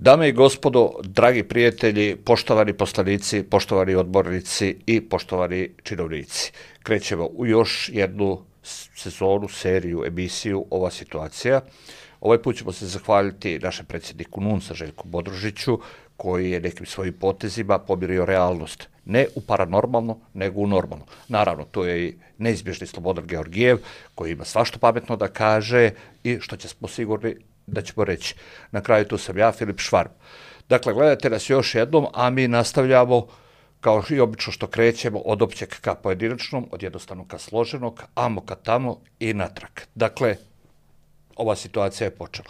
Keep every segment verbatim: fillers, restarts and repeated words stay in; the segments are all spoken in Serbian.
Dame i gospodo, dragi prijatelji, poštovani poslanici, poštovani odbornici i poštovani činovnici. Krećemo u još jednu sezonu, seriju, emisiju Ova situacija. Ovaj put ćemo se zahvaliti našem predsjedniku N U N S-a Željku Bodružiću, koji je nekim svojim potezima pomirio realnost. Ne u paranormalno, nego u normalno. Naravno, to je i neizbježni Slobodan Georgijev, koji ima svašta pametno da kaže i što ćemo sigurni da ćemo reći. Na kraju tu sam ja, Filip Švarb. Dakle, gledajte nas još jednom, a mi nastavljamo kao i obično što krećemo od općeg ka pojedinačnom, od jednostavnog ka složenog, amo ka tamo i natrag. Dakle, ova situacija je počela.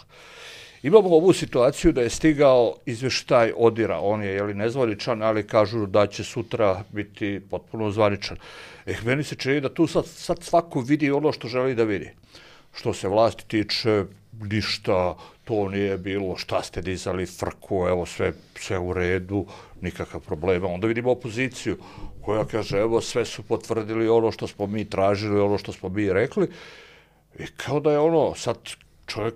Imamo ovu situaciju da je stigao izvještaj Odira, on je jeli, nezvaničan, ali kažu da će sutra biti potpuno zvaničan. Eh, meni se čini da tu sad, sad svako vidi ono što želi da vidi. Što se vlasti tiče, ništa, to nije bilo, šta ste dizali frku, evo sve, sve u redu, nikakav problema. Onda vidimo opoziciju koja kaže, evo sve su potvrdili ono što smo mi tražili, ono što smo mi rekli. I kao da je ono, sad čovjek,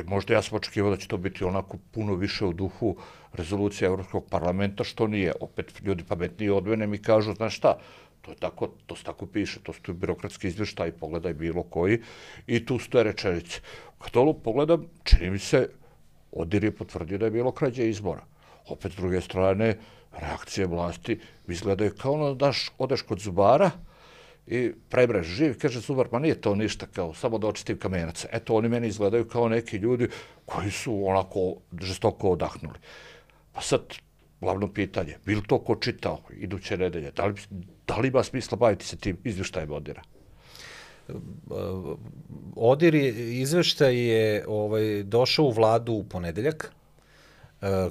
možda ja sam očekivao da će to biti onako puno više u duhu rezolucije Evropskog parlamenta, što nije. Opet ljudi pametniji od mene mi kažu, znaš šta, to je tako, to se tako piše, to su birokratski izvještaj, pogledaj bilo koji, i tu stoje rečenice. Kad ovo pogledam, čini mi se, Odir je potvrdio da je bilo krađe izbora. Opet, s druge strane, reakcije vlasti izgledaju kao ono daš, odeš kod zubara i prebreš živ, kaže zubar, ma nije to ništa, kao samo da očistim kamenac. Eto, oni meni izgledaju kao neki ljudi koji su onako žestoko odahnuli. Pa sad, glavno pitanje, bi li to ko čitao iduće nedelje? Da li, da li ima smisla baviti se tim izvještajem Odira? Odir je, izveštaj je ovaj, došao u vladu u ponedeljak,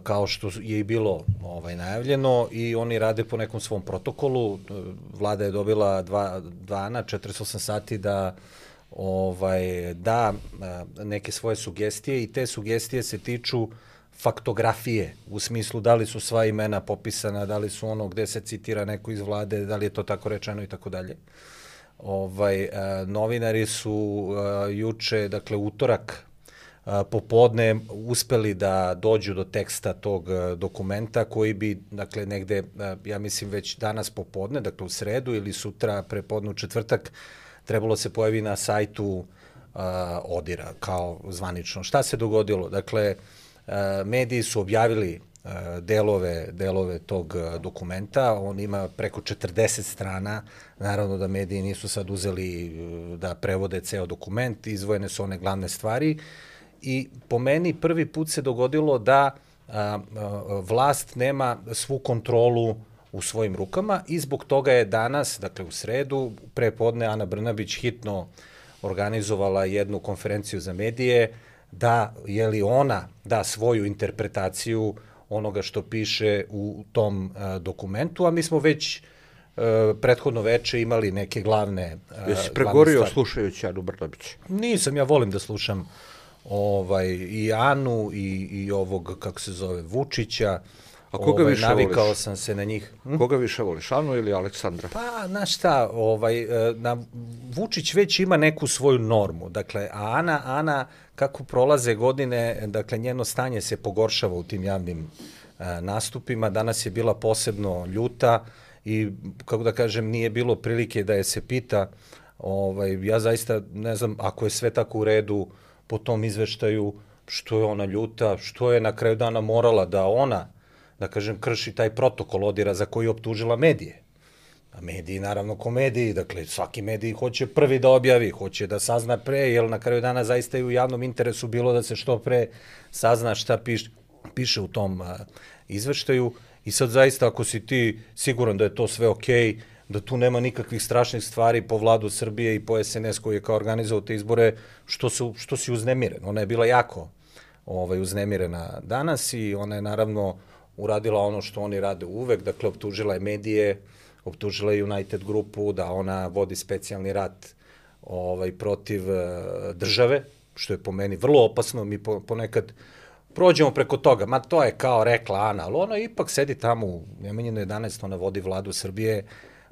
kao što je i bilo ovaj, najavljeno, i oni rade po nekom svom protokolu. Vlada je dobila dva dana, četrdeset osam sati da ovaj, da neke svoje sugestije, i te sugestije se tiču faktografije, u smislu da li su sva imena popisana, da li su ono gde se citira neko iz vlade, da li je to tako rečeno i tako dalje. Ovaj, novinari su juče, dakle utorak, popodne uspeli da dođu do teksta tog dokumenta koji bi, dakle, negde, ja mislim već danas popodne, dakle u sredu ili sutra prepodne u četvrtak, trebalo se pojavi na sajtu uh, Odira kao zvanično. Šta se dogodilo? Dakle, uh, mediji su objavili uh, delove, delove tog dokumenta, on ima preko četrdeset strana, naravno da mediji nisu sad uzeli uh, da prevode ceo dokument, izdvojene su one glavne stvari. I po meni prvi put se dogodilo da a, a, vlast nema svu kontrolu u svojim rukama, i zbog toga je danas, dakle u sredu, prepodne Ana Brnabić hitno organizovala jednu konferenciju za medije da, je li ona da svoju interpretaciju onoga što piše u tom a, dokumentu, a mi smo već a, prethodno veče imali neke glavne a, Jesi pregorio slušajući Anu Brnabić? Nisam, ja volim da slušam ovaj, i Anu i, i ovog, kako se zove, Vučića. A koga ovaj, više navikao voliš? sam se na njih. Hm? Koga više voliš, Anu ili Aleksandra? Pa, znaš šta, ovaj, na, Vučić već ima neku svoju normu. Dakle, a Ana, Ana, kako prolaze godine, dakle, njeno stanje se pogoršava u tim javnim a, nastupima. Danas je bila posebno ljuta i, kako da kažem, nije bilo prilike da je se pita. Ovaj, ja zaista ne znam, ako je sve tako u redu po tom izveštaju, što je ona ljuta, što je na kraju dana morala da ona, da kažem, krši taj protokol Odira za koji je optužila medije. A mediji, naravno, ko mediji, dakle, svaki medij hoće prvi da objavi, hoće da sazna pre, jer na kraju dana zaista je u javnom interesu bilo da se što pre sazna šta piš, piše u tom a, izveštaju. I sad zaista, ako si ti siguran da je to sve okej, okay, da tu nema nikakvih strašnih stvari po vladu Srbije i po S N S koji je kao organizovao te izbore, što, su, što si uznemiren. Ona je bila jako ovaj, uznemirena danas i ona je naravno uradila ono što oni rade uvek, dakle optužila je medije, optužila je United grupu da ona vodi specijalni rat ovaj, protiv uh, države, što je po meni vrlo opasno. Mi po, ponekad prođemo preko toga, ma to je kao rekla Ana, ali ona ipak sedi tamo u Nemanjinoj jedanaest, ona vodi vladu Srbije,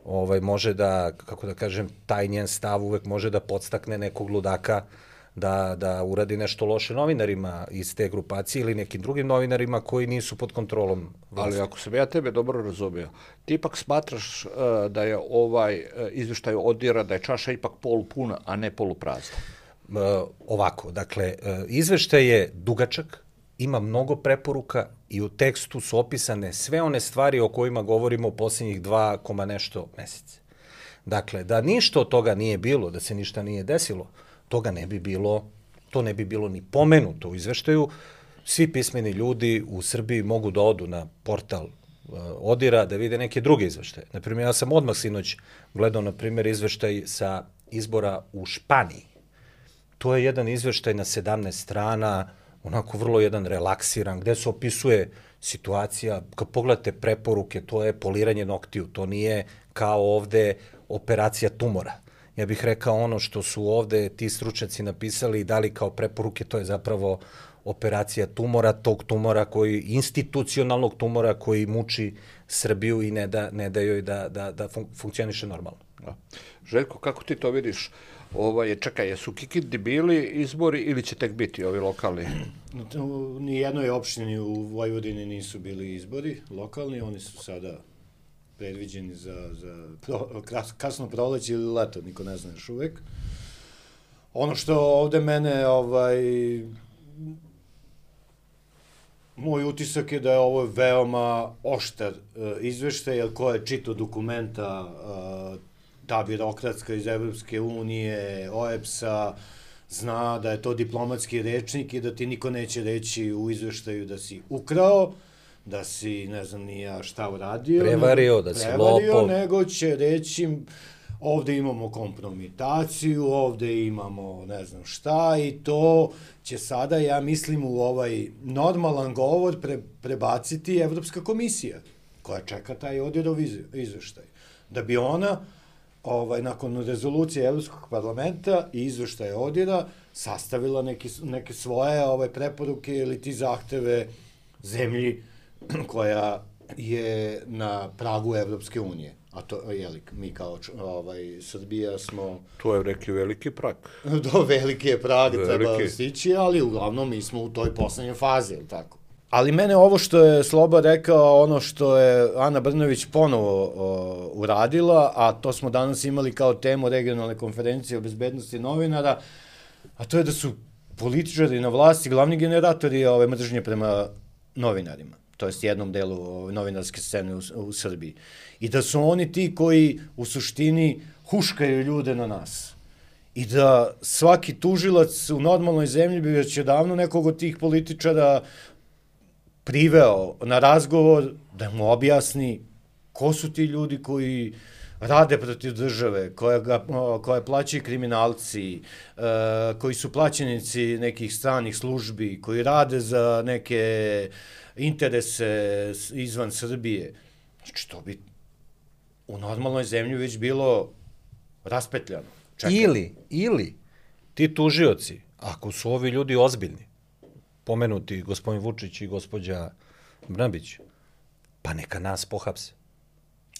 ovaj, može da, kako da kažem, taj njen stav uvek može da podstakne nekog ludaka da, da uradi nešto loše novinarima iz te grupacije ili nekim drugim novinarima koji nisu pod kontrolom vlasti. Ali ako sam ja tebe dobro razumio, ti ipak smatraš uh, da je ovaj uh, izveštaj ODIHR-a, da je čaša ipak polupuna, a ne poluprazna? Uh, ovako, dakle, uh, izveštaj je dugačak, ima mnogo preporuka i u tekstu su opisane sve one stvari o kojima govorimo u posljednjih dva koma nešto mesece. Dakle, da ništa od toga nije bilo, da se ništa nije desilo, toga ne bi bilo, to ne bi bilo ni pomenuto u izveštaju. Svi pismeni ljudi u Srbiji mogu da odu na portal uh, ODIHR-a da vide neke druge izveštaje. Naprimjer, ja sam odmah sinoć gledao, na primjer, izveštaj sa izbora u Španiji. To je jedan izveštaj na sedamnaest strana, onako vrlo jedan relaksiran, gde se opisuje situacija, kad pogledate preporuke, to je poliranje noktiju, to nije kao ovde operacija tumora. Ja bih rekao ono što su ovde ti stručnjaci napisali i dali kao preporuke, to je zapravo operacija tumora, tog tumora koji, institucionalnog tumora koji muči Srbiju i ne da, ne da joj da, da, da fun, funkcioniše normalno. Da. Željko, kako ti to vidiš? Ovaj, čekaj, jesu Kikindi bili izbori ili će tek biti ovi lokalni? U nijednoj opštini u Vojvodini nisu bili izbori lokalni, oni su sada predviđeni za, za pro, kasno proleće ili leto, niko ne zna još uvek. Ono što ovde mene, ovaj, moj utisak je da je ovo veoma oštar uh, izveštaj, jer ko je čitao dokumenta uh, ta birokratska iz Evropske unije, O E B S-a, zna da je to diplomatski rečnik i da ti niko neće reći u izveštaju da si ukrao, da si, ne znam, nija šta uradio. Prevario, da si lopov. Nego će reći, ovde imamo kompromitaciju, ovde imamo ne znam šta i to će sada, ja mislim, u ovaj normalan govor pre, prebaciti Evropska komisija, koja čeka taj ODIHR-ov izveštaj. Da bi ona, ovaj, nakon rezolucije Evropskog parlamenta i izveštaja ODIHR-a, sastavila neki, neke svoje ovaj, preporuke ili ti zahteve zemlji koja je na pragu Evropske unije. A to, jeli, mi kao ovaj, Srbija smo... To je neki veliki prag. Do veliki je prag, treba stići, ali uglavnom mi smo u toj poslednjoj fazi, ili tako? Ali mene ovo što je Sloba rekao, ono što je Ana Brnović ponovo o, uradila, a to smo danas imali kao temu regionalne konferencije o bezbednosti novinara, a to je da su političari na vlasti glavni generatori ove mržnje prema novinarima, to jest jednom delu ove novinarske scene u, u Srbiji. I da su oni ti koji u suštini huškaju ljude na nas. I da svaki tužilac u normalnoj zemlji bi već odavno nekog od tih političara priveo na razgovor da mu objasni ko su ti ljudi koji rade protiv države, koje, ga, koje plaćaju kriminalci, koji su plaćenici nekih stranih službi, koji rade za neke interese izvan Srbije. Znači, to bi u normalnoj zemlji već bilo raspetljano. Čekaj. Ili, ili ti tužioci, ako su ovi ljudi ozbiljni, pomenuti gospodin Vučić i gospođa Brnabić, pa neka nas pohapse.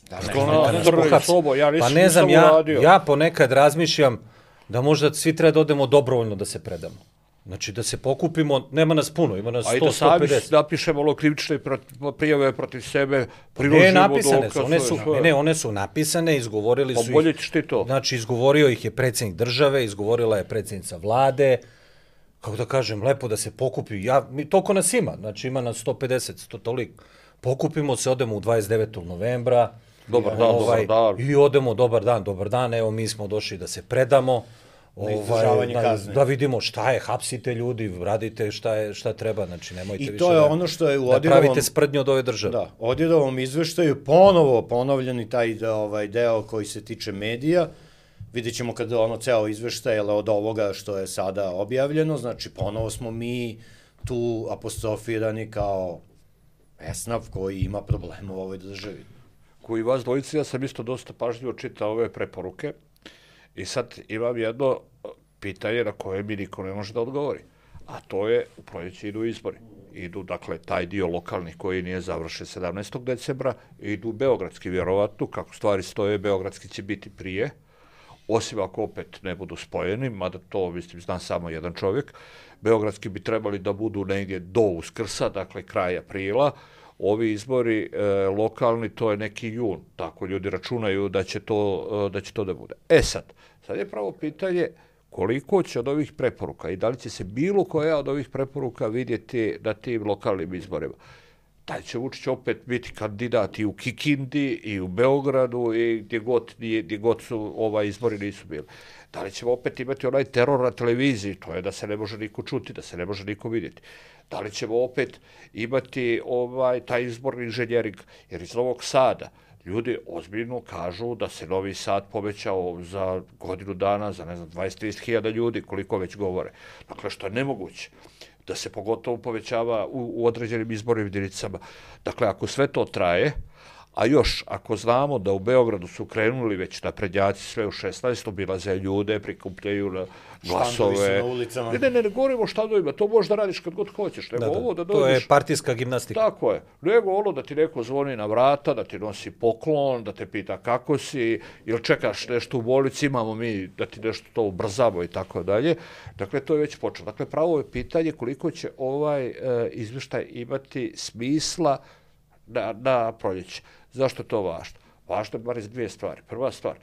Da, ne, neka nas pohapse. Sobo, ja pa ne znam, ja, ja ponekad razmišljam da možda svi treba da odemo dobrovoljno da se predamo. Znači da se pokupimo, nema nas puno, ima nas sto do sto pedeset. Ajde sami napišemo ono krivične prijave protiv sebe, priložimo ne, napisane su, one su, ne, ne, one su napisane, izgovorili su ih. Ti to. Znači izgovorio ih je predsjednik države, izgovorila je predsjednica vlade, kako da kažem, lepo da se pokupi, ja, mi, toliko nas ima, znači ima nas sto pedeset, sto toliko. Pokupimo se, odemo u dvadeset devetog novembra. Dobar dan, ovaj, dobar dan. I odemo, dobar dan, dobar dan, evo mi smo došli da se predamo. Ovaj, da, da vidimo šta je, hapsite ljudi, radite šta, je, šta treba, znači nemojte I više to je da, ono što je u da Odirovom, pravite sprdnju od ove države. Da, Odirovom izveštaju ponovo ponovljeni taj ovaj, deo koji se tiče medija. Vidjet ćemo kada ono ceo izveštaj od ovoga što je sada objavljeno, znači ponovo smo mi tu apostrofirani kao esnaf koji ima problema u ovoj državi. Koji vas dvojici, ja sam isto dosta pažljivo čitao ove preporuke. I sad imam jedno pitanje na koje mi niko ne može da odgovori. A to je, u proljeće idu izbori. Idu, dakle, taj dio lokalnih koji nije završen sedamnaestog decembra, idu beogradski, vjerovatno, kako stvari stoje, beogradski će biti prije. osim ako opet ne budu spojeni, mada to, mislim, zna samo jedan čovjek. Beogradski bi trebali da budu negdje do Uskrsa, dakle kraj aprila. Ovi izbori e, lokalni, to je neki jun, tako ljudi računaju da će to, da će to da bude. E sad, sad je pravo pitanje koliko će od ovih preporuka i da li će se bilo koja od ovih preporuka vidjeti na tim lokalnim izborima. Da će Vučić opet biti kandidat i u Kikindi, i u Beogradu, i gdje god, gdje god su ovaj izbori nisu bili. Da li ćemo opet imati onaj teror na televiziji, to je da se ne može niko čuti, da se ne može niko vidjeti. Da li ćemo opet imati ovaj taj izborni inženjering, jer iz Novog Sada ljudi ozbiljno kažu da se Novi Sad povećao za godinu dana, za ne znam, dvadeset do trideset hiljada ljudi, koliko već govore. Dakle, što je nemoguće, da se pogotovo povećava u, u određenim izbornim jedinicama. Dakle, ako sve to traje, a još ako znamo da u Beogradu su krenuli već naprednjaci sve u šesnaestom obilaze ljude, prikupljaju na glasove. Na ulicama. Ne, ne, ne, ne govorimo o štandovima, to možeš da radiš kad god hoćeš. Nego da, da. Ovo da dođeš, to je partijska gimnastika. Tako je. Nego ono da ti neko zvoni na vrata, da ti nosi poklon, da te pita kako si, ili čekaš nešto u bolnici, imamo mi da ti nešto to ubrzamo i tako dalje. Dakle, to je već počelo. Dakle, pravo je pitanje koliko će ovaj e, izvještaj imati smisla na, na proljeće. Zašto je to važno? Važno je bar iz dvije stvari. Prva stvar,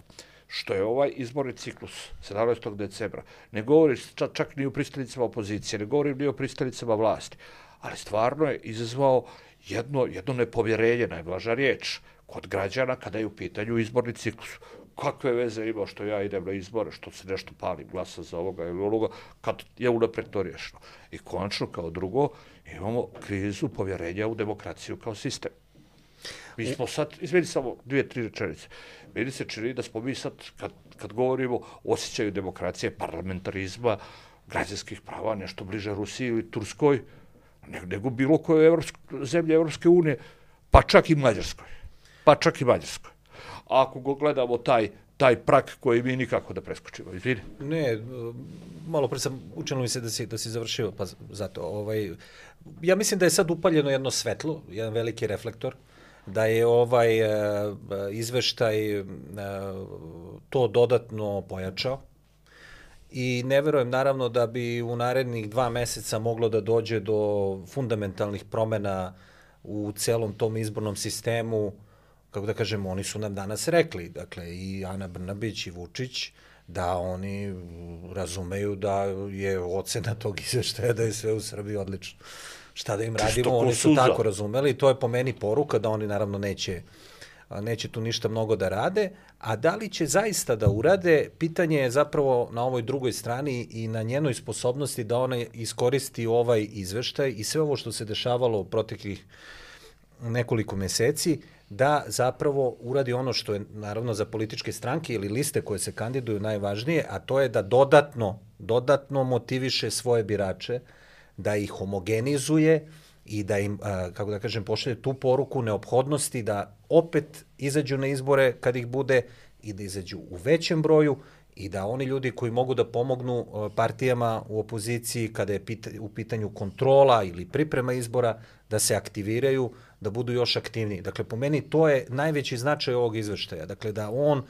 što je ovaj izborni ciklus sedamnaestog decembra, ne govori čak, čak ni o pristanicama opozicije, ne govori ni o pristanicama vlasti, ali stvarno je izazvao jedno, jedno nepovjerenje, najblaža riječ, kod građana kada je u pitanju izborni ciklus. Kakve veze ima što ja idem na izbore, što se nešto palim, glasa za ovoga ili onoga, kad je unapred to riješeno. I konačno, kao drugo, imamo krizu povjerenja u demokraciju kao sistem. Mi smo sad, izmeni samo dvije, tri rečenice, meni se čini da smo mi sad, kad, kad govorimo o osjećaju demokracije, parlamentarizma, građanskih prava, nešto bliže Rusiji ili Turskoj, nego bilo koje evropske, zemlje Evropske unije, pa čak i Mađarskoj. Pa čak i Mađarskoj. A ako go gledamo taj, taj prak koji mi nikako da preskočimo, izvini. Ne, malo pre sam učinilo mi se da si, da si završio, pa zato, ovaj, ja mislim da je sad upaljeno jedno svetlo, jedan veliki reflektor, da je ovaj e, izveštaj e, to dodatno pojačao i ne verujem naravno da bi u narednih dva meseca moglo da dođe do fundamentalnih promjena u celom tom izbornom sistemu. Kako da kažemo, oni su nam danas rekli, dakle i Ana Brnabić i Vučić, da oni razumeju da je ocena tog izveštaja da je sve u Srbiji odlično. Šta da im radimo, oni su tako razumeli i to je po meni poruka da oni naravno neće, neće tu ništa mnogo da rade, a da li će zaista da urade, pitanje je zapravo na ovoj drugoj strani i na njenoj sposobnosti da ona iskoristi ovaj izveštaj i sve ovo što se dešavalo u proteklih nekoliko meseci, da zapravo uradi ono što je naravno za političke stranke ili liste koje se kandiduju najvažnije, a to je da dodatno, dodatno motiviše svoje birače, da ih homogenizuje i da im, kako da kažem, pošalje tu poruku neophodnosti da opet izađu na izbore kad ih bude i da izađu u većem broju i da oni ljudi koji mogu da pomognu partijama u opoziciji kada je u pitanju kontrola ili priprema izbora, da se aktiviraju, da budu još aktivniji. Dakle, po meni to je najveći značaj ovog izveštaja. Dakle, da on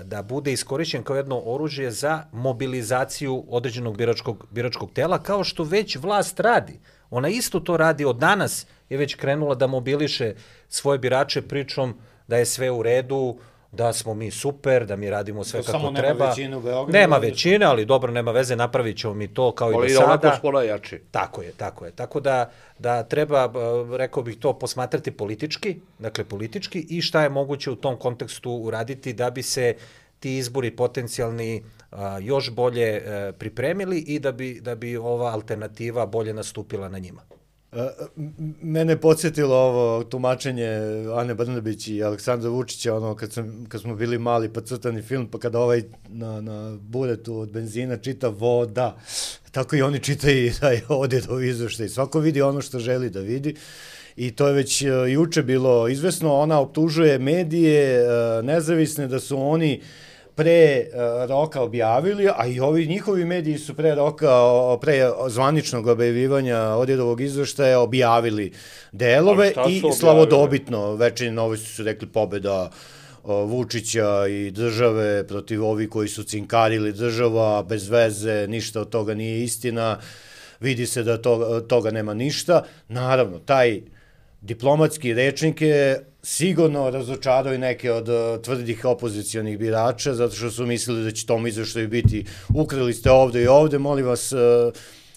da bude iskorišćen kao jedno oružje za mobilizaciju određenog biračkog, biračkog tela, kao što već vlast radi. Ona isto to radi, od danas je već krenula da mobiliše svoje birače pričom da je sve u redu, da smo mi super, da mi radimo sve to kako treba. Samo nema većine u Beogradu. Nema većine, ali dobro, nema veze, napravit ćemo mi to kao ali i do sada. Ali onako smo najjači. Tako je, tako je. Tako da, da treba, rekao bih to, posmatrati politički, dakle politički i šta je moguće u tom kontekstu uraditi da bi se ti izbori potencijalni a, još bolje a, pripremili i da bi, da bi ova alternativa bolje nastupila na njima. Mene podsjetilo ovo tumačenje Ane Brnabić i Aleksandra Vučića, ono kad, sam, kad smo bili mali pa crtani film, pa kada ovaj na, na buretu od benzina čita voda, tako i oni čitaju taj Odjedov izveštaj. Svako vidi ono što želi da vidi i to je već juče bilo izvesno. Ona optužuje medije nezavisne da su oni pre roka objavili, a i ovi njihovi mediji su pre roka, pre zvaničnog objavljivanja Odjedovog izveštaja objavili delove i slavodobitno, Večernji novosti su rekli pobeda Vučića i države protiv ovih koji su cinkarili država, bez veze, ništa od toga nije istina, vidi se da to, toga nema ništa. Naravno, taj diplomatski rečnik je sigurno razočarao i neke od tvrdih opozicijonih birača, zato što su mislili da će tom izveštaju biti ukrali ste ovde i ovde, molim vas,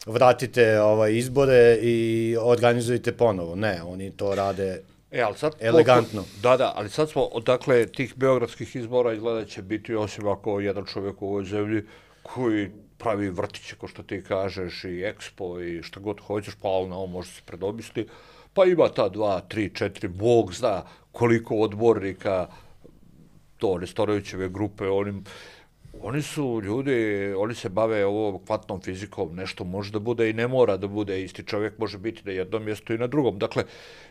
vratite ovaj, izbore i organizujte ponovo. Ne, oni to rade e, ali sad, elegantno. Da, da, ali sad smo, dakle, tih beogradskih izbora izgleda će biti, osim ako jedan čovjek u ovoj zemlji koji pravi vrtiće, ko što ti kažeš, i ekspo i šta god hoćeš, pa ali na ovo može se predomisli, pa ima ta dva, tri, četiri, Bog zna koliko odbornika, to Nestorovićeve grupe, onim, oni su ljudi, oni se bave ovom kvantnom fizikom, nešto može da bude i ne mora da bude, isti čovjek može biti na jednom mjestu i na drugom. Dakle,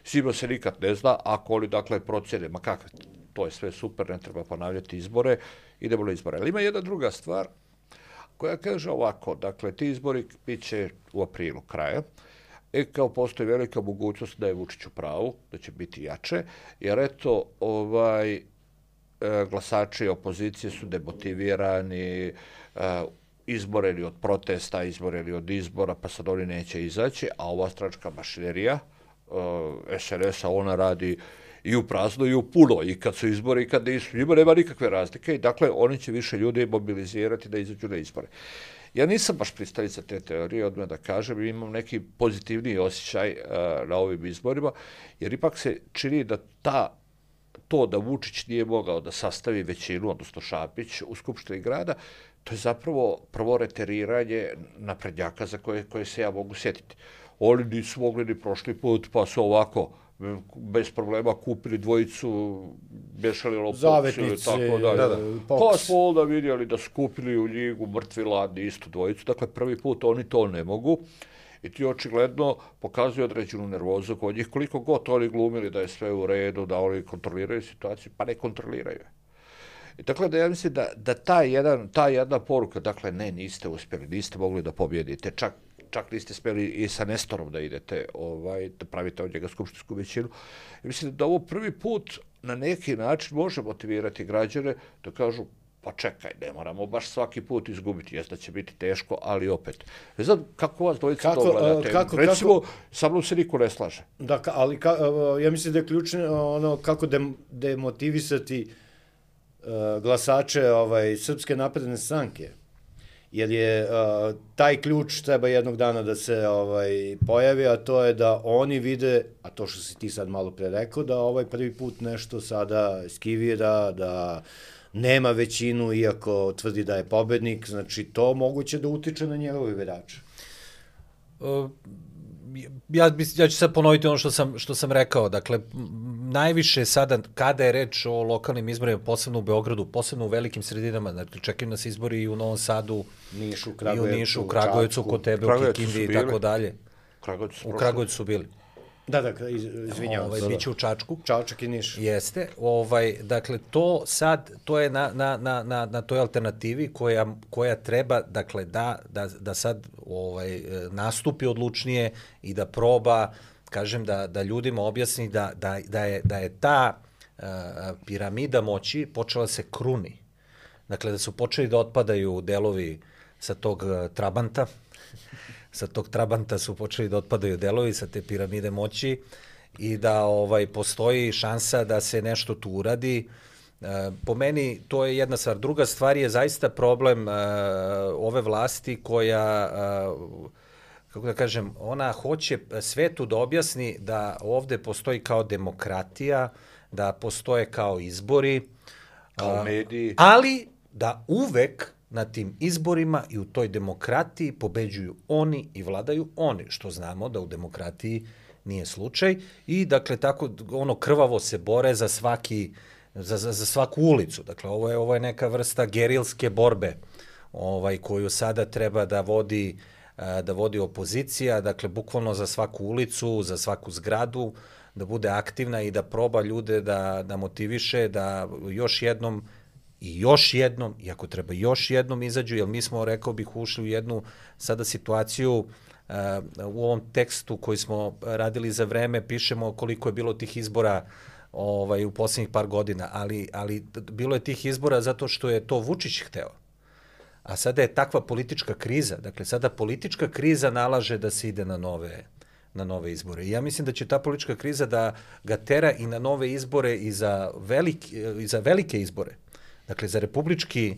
sigurno se nikad ne zna, ako oni, dakle, procjene, ma kakve, to je sve super, ne treba ponavljati izbore, idemo na izbore. Ali ima jedna druga stvar, koja kaže ovako, dakle, ti izbori bit će u aprilu kraja, i kao postoji velika mogućnost da je Vučić u pravu, da će biti jače, jer eto, ovaj, glasači opozicije su demotivirani, izboreni od protesta, izboreni od izbora, pa sad oni neće izaći, a ova stranačka mašinerija es en es-a, ona radi i u prazno i u puno, i kad su izbori i kad nisu, njima nema nikakve razlike i dakle oni će više ljudi mobilizirati da izađu na izbore. Ja nisam baš pristalica te teorije, odmah da kažem, imam neki pozitivniji osjećaj uh, na ovim izborima, jer ipak se čini da ta, to da Vučić nije mogao da sastavi većinu, odnosno Šapić, u Skupštini grada, to je zapravo prvo reteriranje naprednjaka za koje, koje se ja mogu sjetiti. Oni nisu mogli ni prošli put, pa su ovako bez problema kupili dvojicu, bešali lopopci ili tako dalje. Da, da. Pa smo onda vidjeli da su kupili u Ljigu mrtvi ladni istu dvojicu. Dakle, prvi put oni to ne mogu i ti očigledno pokazuju određenu nervozu kod njih. Koliko god oni glumili da je sve u redu, da oni kontroliraju situaciju, pa ne kontroliraju. I dakle, da ja mislim da, da ta, jedan, ta jedna poruka, dakle, ne, niste uspjeli, niste mogli da pobjedite, čak čak niste smjeli i sa Nestorom da idete, ovaj, da pravite od njega skupštinsku većinu. I mislim da ovo prvi put na neki način može motivirati građane da kažu, pa čekaj, ne moramo baš svaki put izgubiti, jes da će biti teško, ali opet. Ne znam kako vas dvojica to gledate. Kako, Recimo, kako, sa mnom se niko ne slaže. Da, ali ka, ja mislim da je ključno ono kako demotivisati uh, glasače ovaj, Srpske napredne stranke. Jer je uh, taj ključ treba jednog dana da se ovaj pojavi, a to je da oni vide, a to što si ti sad malo pre rekao, da ovaj prvi put nešto sada skivira, da nema većinu, iako tvrdi da je pobednik, znači to moguće da utiče na njegove birače. Uh, ja, ja ću sad ponoviti ono što sam, što sam rekao. Dakle, najviše sada, kada je reč o lokalnim izborima, posebno u Beogradu, posebno u velikim sredinama, dakle, čekaju nas izbori i u Novom Sadu, Nišu, i u Nišu, u Kragujevcu, kod tebe, u Kikindi i tako dalje. U Kragujevcu su bili. Da, da, izvinjavam ovaj, se. Biće u Čačku. Čačak i Niš. Jeste. Ovaj, dakle, to sad, to je na, na, na, na, na toj alternativi koja, koja treba, dakle, da, da, da sad ovaj, nastupi odlučnije i da proba, kažem, da, da ljudima objasni da, da, da, je, da je ta uh, piramida moći počela se kruni. Dakle, da su počeli da otpadaju delovi sa tog uh, Trabanta, sa tog Trabanta su počeli da otpadaju delovi sa te piramide moći i da ovaj postoji šansa da se nešto tu uradi. E, po meni to je jedna stvar. Druga stvar je zaista problem e, ove vlasti koja, e, kako da kažem, ona hoće svetu da objasni da ovde postoji kao demokratija, da postoje kao izbori, kao mediji, ali da uvek na tim izborima i u toj demokratiji pobeđuju oni i vladaju oni, što znamo da u demokratiji nije slučaj i dakle tako ono krvavo se bore za svaki za, za, za svaku ulicu. Dakle ovo je ovo je neka vrsta gerilske borbe, ovaj koju sada treba da vodi da vodi opozicija, dakle bukvalno za svaku ulicu, za svaku zgradu, da bude aktivna i da proba ljude da da motiviše da još jednom i još jednom, i ako treba još jednom izađu, jer mi smo, rekao bih, ušli u jednu sada situaciju, uh, u ovom tekstu koji smo radili za vreme, pišemo koliko je bilo tih izbora ovaj, u posljednjih par godina, ali, ali bilo je tih izbora zato što je to Vučić hteo. A sada je takva politička kriza, dakle sada politička kriza nalaže da se ide na nove, na nove izbore. I ja mislim da će ta politička kriza da ga tera i na nove izbore i za, velik, i za velike izbore. Dakle, za republički,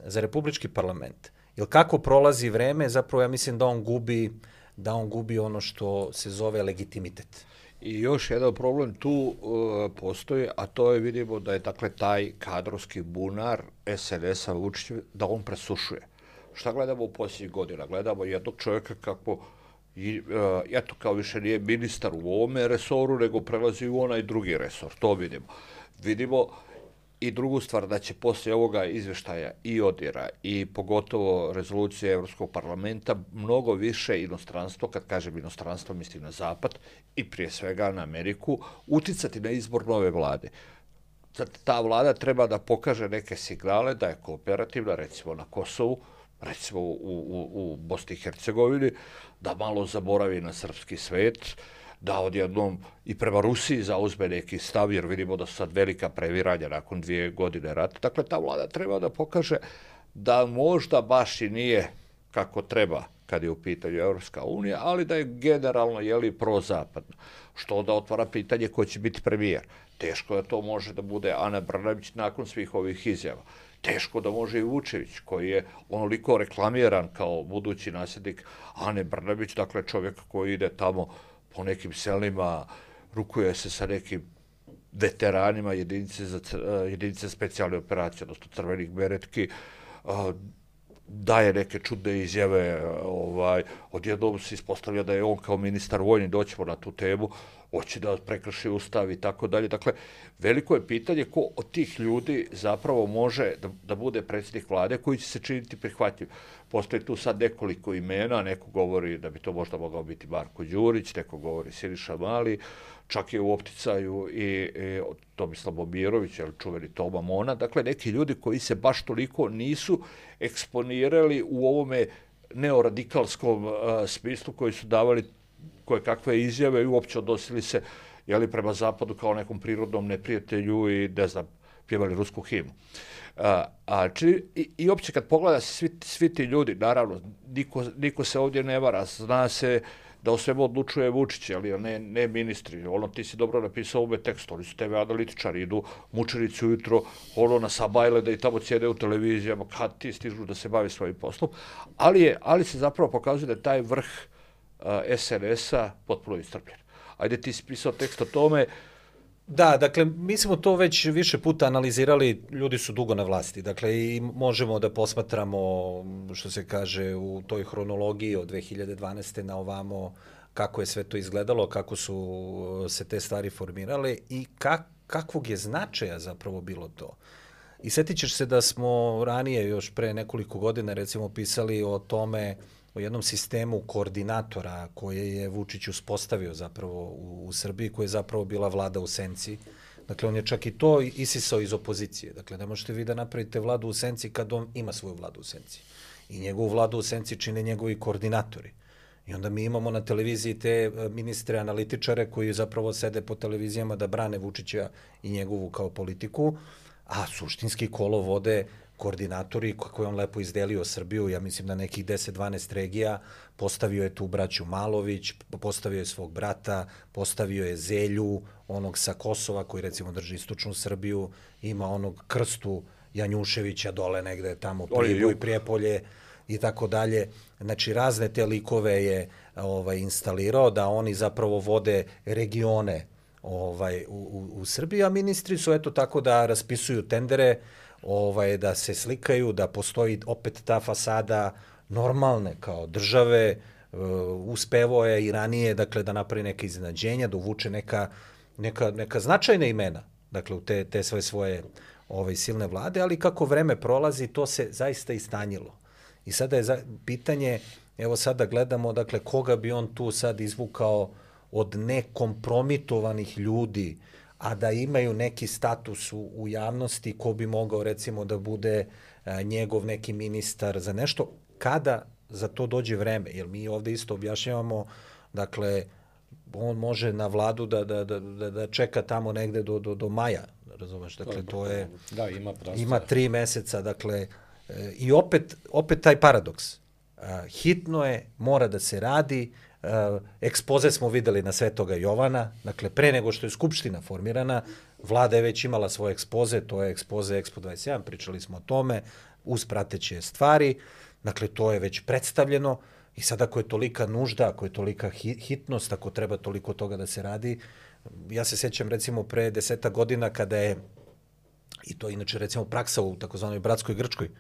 za republički parlament. Jer kako prolazi vreme, zapravo ja mislim da on gubi, da on gubi ono što se zove legitimitet. I još jedan problem tu uh, postoji, a to je, vidimo da je dakle taj kadrovski bunar es en es-a Vučića, da on presušuje. Šta gledamo u posljednjih godina? Gledamo jednog čovjeka kako, i, uh, eto, kao više nije ministar u ovome resoru, nego prelazi u onaj drugi resor. To vidimo. Vidimo i drugu stvar, da će poslije ovoga izveštaja i odira i pogotovo rezolucije Evropskog parlamenta mnogo više inostranstvo, kad kažem inostranstvo mislim na Zapad i prije svega na Ameriku, uticati na izbor nove vlade. Sad, ta vlada treba da pokaže neke signale da je kooperativna, recimo na Kosovu, recimo u, u, u Bosni i Hercegovini, da malo zaboravi na srpski svet, da odjednom i prema Rusiji zauzme neki stav, jer vidimo da su sad velika previranja nakon dvije godine rata. Dakle, ta vlada treba da pokaže da možda baš i nije kako treba kad je u pitanju Evropska unija, ali da je generalno, jeli, prozapadno. Što onda otvara pitanje ko će biti premijer. Teško da to može da bude Ana Brnabić nakon svih ovih izjava. Teško da može i Vučević, koji je onoliko reklamiran kao budući nasljednik Ane Brnabić, dakle čovjek koji ide tamo po nekim selima, rukuje se sa nekim veteranima jedinice za jedinice specijalne operacije, odnosno crvenih beretki, daje neke čudne izjave, ovaj, odjednom se ispostavlja da je on kao ministar vojni, doćemo na tu temu, hoće da prekrši ustav i tako dalje. Dakle, veliko je pitanje ko od tih ljudi zapravo može da, da bude predsjednik vlade koji će se činiti prihvatljiv. Postoji tu sad nekoliko imena, neko govori da bi to možda mogao biti Marko Đurić, neko govori Siniša Mali, čak je u opticaju i, i Tomislav Momirović, ili čuveni Toma Mona. Dakle, neki ljudi koji se baš toliko nisu eksponirali u ovome neoradikalskom uh, smislu, koji su davali koje kakve izjave i uopće odnosili se, jeli, prema Zapadu kao nekom prirodnom neprijatelju i, ne znam, pjevali rusku himnu. A, a či, i, I uopće kad pogleda se svi, svi ti ljudi, naravno, niko, niko se ovdje ne vara, zna se da o svemu odlučuje Vučić, ali ne, ne ministri. Ono, ti si dobro napisao ove tekst, oni su tebe analitičari, idu mučenici ujutro, ono, na Sabajle, da i tamo sjede u televizijama, kad ti stižu da se bavi svojim poslom, ali, je, ali se zapravo pokazuje da je taj vrh es en es-a potpuno istrpljen. Ajde, ti si pisao tekst o tome. Da, dakle, mi smo to već više puta analizirali, ljudi su dugo na vlasti, dakle, i možemo da posmatramo, što se kaže, u toj hronologiji od dve hiljade dvanaeste na ovamo, kako je sve to izgledalo, kako su se te stvari formirale i kak, kakvog je značaja zapravo bilo to. I sjetit ćeš se da smo ranije, još pre nekoliko godina, recimo, pisali o tome, o jednom sistemu koordinatora koje je Vučić uspostavio zapravo u, u Srbiji, koja je zapravo bila vlada u senci. Dakle, on je čak i to isisao iz opozicije. Dakle, ne možete vi da napravite vladu u senci kad on ima svoju vladu u senci. I njegovu vladu u senci čine njegovi koordinatori. I onda mi imamo na televiziji te ministre analitičare koji zapravo sede po televizijama da brane Vučića i njegovu kao politiku, a suštinski kolo vode koordinatori koje on lepo izdelio Srbiju, ja mislim na nekih deset dvanaest regija, postavio je tu braću Malović, postavio je svog brata, postavio je Zelju, onog sa Kosova koji recimo drži istočnu Srbiju, ima onog Krstu Janjuševića dole negde tamo, Priboj, Prijepolje i tako dalje. Znači razne te likove je ovaj, instalirao da oni zapravo vode regione ovaj, u, u, u Srbiji, a ministri su eto tako da raspisuju tendere, ovaj, da se slikaju, da postoji opet ta fasada normalne kao države, uh, uspevo je i ranije, dakle, da napravi neke iznenađenja, da uvuče neka, neka, neka značajna imena, dakle, u te, te sve svoje ovaj, silne vlade, ali kako vreme prolazi, to se zaista istanjilo. I sada je za, pitanje, evo sada gledamo, dakle, koga bi on tu sad izvukao od nekompromitovanih ljudi, a da imaju neki status u, u javnosti, ko bi mogao recimo da bude a, njegov neki ministar za nešto, kada za to dođe vreme. Jer mi ovde isto objašnjavamo, dakle, on može na vladu da, da, da, da čeka tamo negde do, do, do maja, razumeš, dakle, to je... Da, ima prostora. Ima tri meseca, dakle, i opet, opet taj paradoks. Hitno je, mora da se radi, ekspoze smo videli na Svetoga Jovana, dakle, pre nego što je Skupština formirana, vlada je već imala svoje ekspoze, to je ekspoze Expo dvadeset jedan, pričali smo o tome, uz prateće stvari, dakle, to je već predstavljeno i sad ako je tolika nužda, ako je tolika hitnost, ako treba toliko toga da se radi, ja se sećam recimo pre deseta godina kada je, i to inače recimo praksa u takozvanoj bratskoj Grčkoj,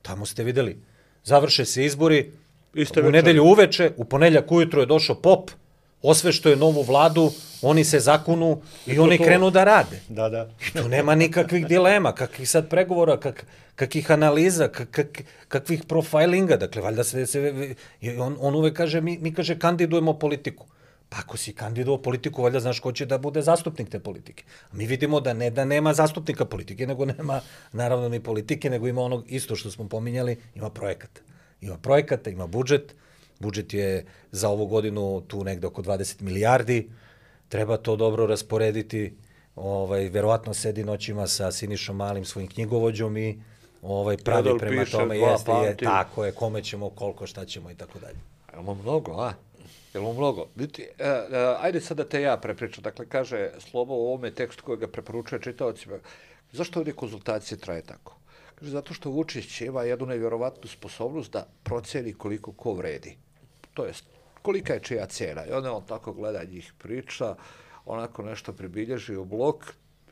tamo ste videli, završe se izbori, Iste u nedelju uveče, u ponedeljak ujutro je došao pop, osvešto je novu vladu, oni se zakunu i, I oni to... krenu da rade. Da, da. I tu nema nikakvih dilema, kakvih sad pregovora, kak, kakvih analiza, kak, kak, kakvih profilinga, dakle, valjda se... se on, on uvek kaže, mi, mi kaže, kandidujemo politiku. Pa ako si kandidovao politiku, valjda znaš ko će da bude zastupnik te politike. A mi vidimo da ne da nema zastupnika politike, nego nema, naravno, ni politike, nego ima onog isto što smo pominjali, ima projekata. Ima projekata, ima budžet, budžet je za ovu godinu tu negde oko dvadeset milijardi, treba to dobro rasporediti, ovaj, verovatno sedi noćima sa Sinišom Malim, svojim knjigovođom i ovaj, pravi Predal prema tome, jeste, je, tako je, kome ćemo, koliko, šta ćemo i tako dalje. Imamo mnogo, a? Jel' mnogo? Vidite, uh, uh, ajde sad da te ja prepričam. Dakle, kaže Slobo u ovome tekstu koji ga preporučuje čitaocima. Zašto ovdje konzultacije traje tako? Kaže, zato što Vučić ima jednu nevjerovatnu sposobnost da proceni koliko ko vredi. To jest, kolika je čija cijena. I onda on tako gleda njih priča, onako nešto pribilježi u blok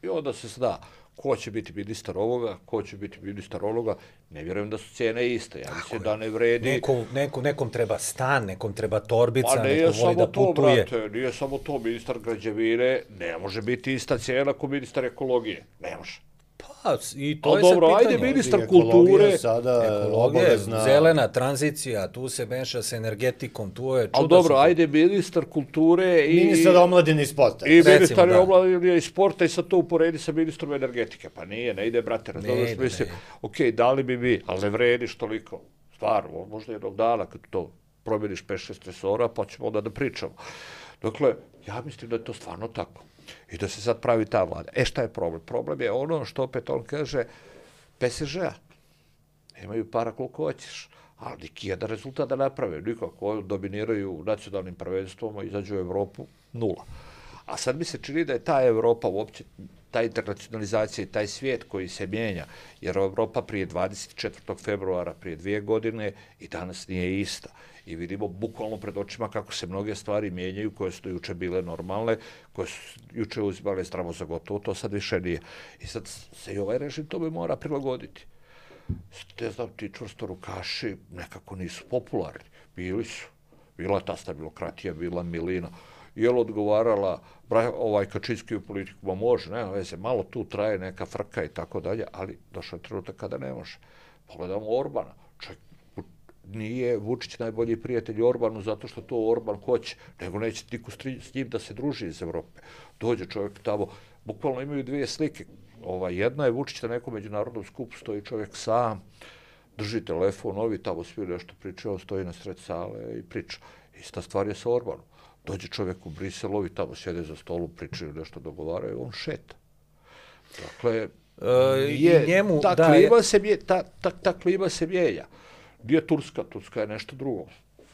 i onda se zna ko će biti ministar ovoga, ko će biti ministar onoga. Ne vjerujem da su cijene iste. Ja mislim da ne vredi... Neko, neko, nekom treba stan, nekom treba torbica, pa neko voli da putuje. Pa nije samo to, brate, nije samo to. Ministar građevine ne može biti ista cijena ko ministar ekologije. Ne može. Pa, i to A je dobro, sad pitanje. Ajde ministar kulture... Sada ekologija, zelena tranzicija, tu se meša s energetikom, tu je... Ali dobro, su... ajde ministar kulture i... Ministar omladine i sporta. I Recimo, ministar da. omladine i sporta i sad to uporedi sa ministrom energetike. Pa nije, ne ide, brate, razumiješ, mislim, ok, dali bi mi, ali ne vrediš toliko. Stvarno, možda jednog dana kad to promjeniš pet šest resora, pa ćemo onda da pričamo. Dakle, ja mislim da je to stvarno tako. I da se sad pravi ta vlada. E, šta je problem? Problem je ono što opet on kaže P S Ž-a. Nemaju para koliko hoćeš, ali neki jedan rezultat da naprave. Nikako dominiraju nacionalnim prvenstvom, izađu u Evropu, nula. A sad mi se čini da je ta Evropa uopće, ta internacionalizacija i taj svijet koji se mijenja, jer Evropa prije dvadeset četvrtog februara, prije dvije godine i danas nije ista. I vidimo bukvalno pred očima kako se mnoge stvari mijenjaju koje su juče bile normalne, koje su juče uzimale zdravo za gotovo, to sad više nije. I sad se i ovaj režim tome mora prilagoditi. Ne znam, ti čvrstorukaši nekako nisu popularni. Bili su. Bila ta stabilokratija, bila milina. Je li odgovarala ovaj Kačinski u politiku? Ma može, nema veze, malo tu traje neka frka i tako dalje, ali došao je trenutak kada ne može. Pogledamo Orbana. Čovjek nije Vučić najbolji prijatelj Orbanu zato što to Orban hoće, nego neće niko s njim da se druži iz Evrope. Dođe čovjek tamo, bukvalno imaju dvije slike. Ova, jedna je Vučić na nekom međunarodnom skupu, stoji čovjek sam, drži telefon, ovi tamo svi nešto pričaju, on stoji na sred sale i priča. Ista stvar je sa Orbanom. Dođe čovjek u Brisel, ovi tamo sjede za stolu, pričaju, nešto dogovaraju, on šeta. Dakle, e, je, njemu, ta, da, klima se mje, ta, ta, ta klima se mijenja. Gdje je Turska? Turska je nešto drugo.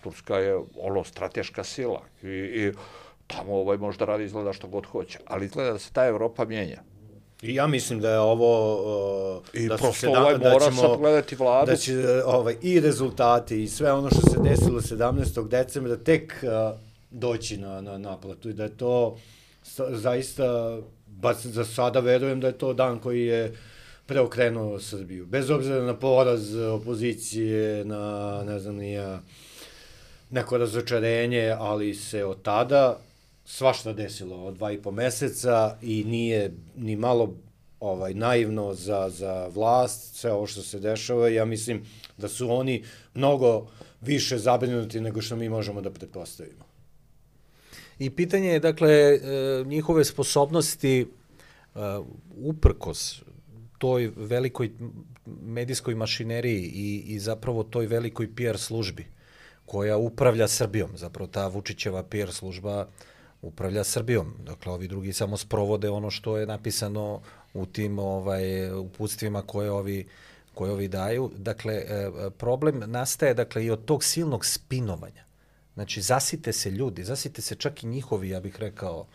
Turska je ono strateška sila i, i tamo ovaj možda radi izgleda što god hoće, ali izgleda da se ta Evropa mijenja. I ja mislim da je ovo... Uh, I da prosto ovaj da mora sad gledati vladu. Da će ovaj, i rezultati i sve ono što se desilo sedamnaestog decembra tek uh, doći na, na naplatu i da je to zaista, ba za sada verujem da je to dan koji je preokrenuo Srbiju. Bez obzira na poraz opozicije, na, ne znam, nija, neko razočarenje, ali se od tada svašta desilo od dva i po meseca i nije ni malo ovaj naivno za, za vlast, sve ovo što se dešava. Ja mislim da su oni mnogo više zabrinuti nego što mi možemo da pretpostavimo. I pitanje je, dakle, njihove sposobnosti uprkos toj velikoj medijskoj mašineriji i, i zapravo toj velikoj P R službi koja upravlja Srbijom. Zapravo ta Vučićeva P R služba upravlja Srbijom. Dakle, ovi drugi samo sprovode ono što je napisano u tim ovaj, uputstvima koje ovi, koje ovi daju. Dakle, problem nastaje dakle, i od tog silnog spinovanja. Znači, zasite se ljudi, zasite se čak i njihovi, ja bih rekao,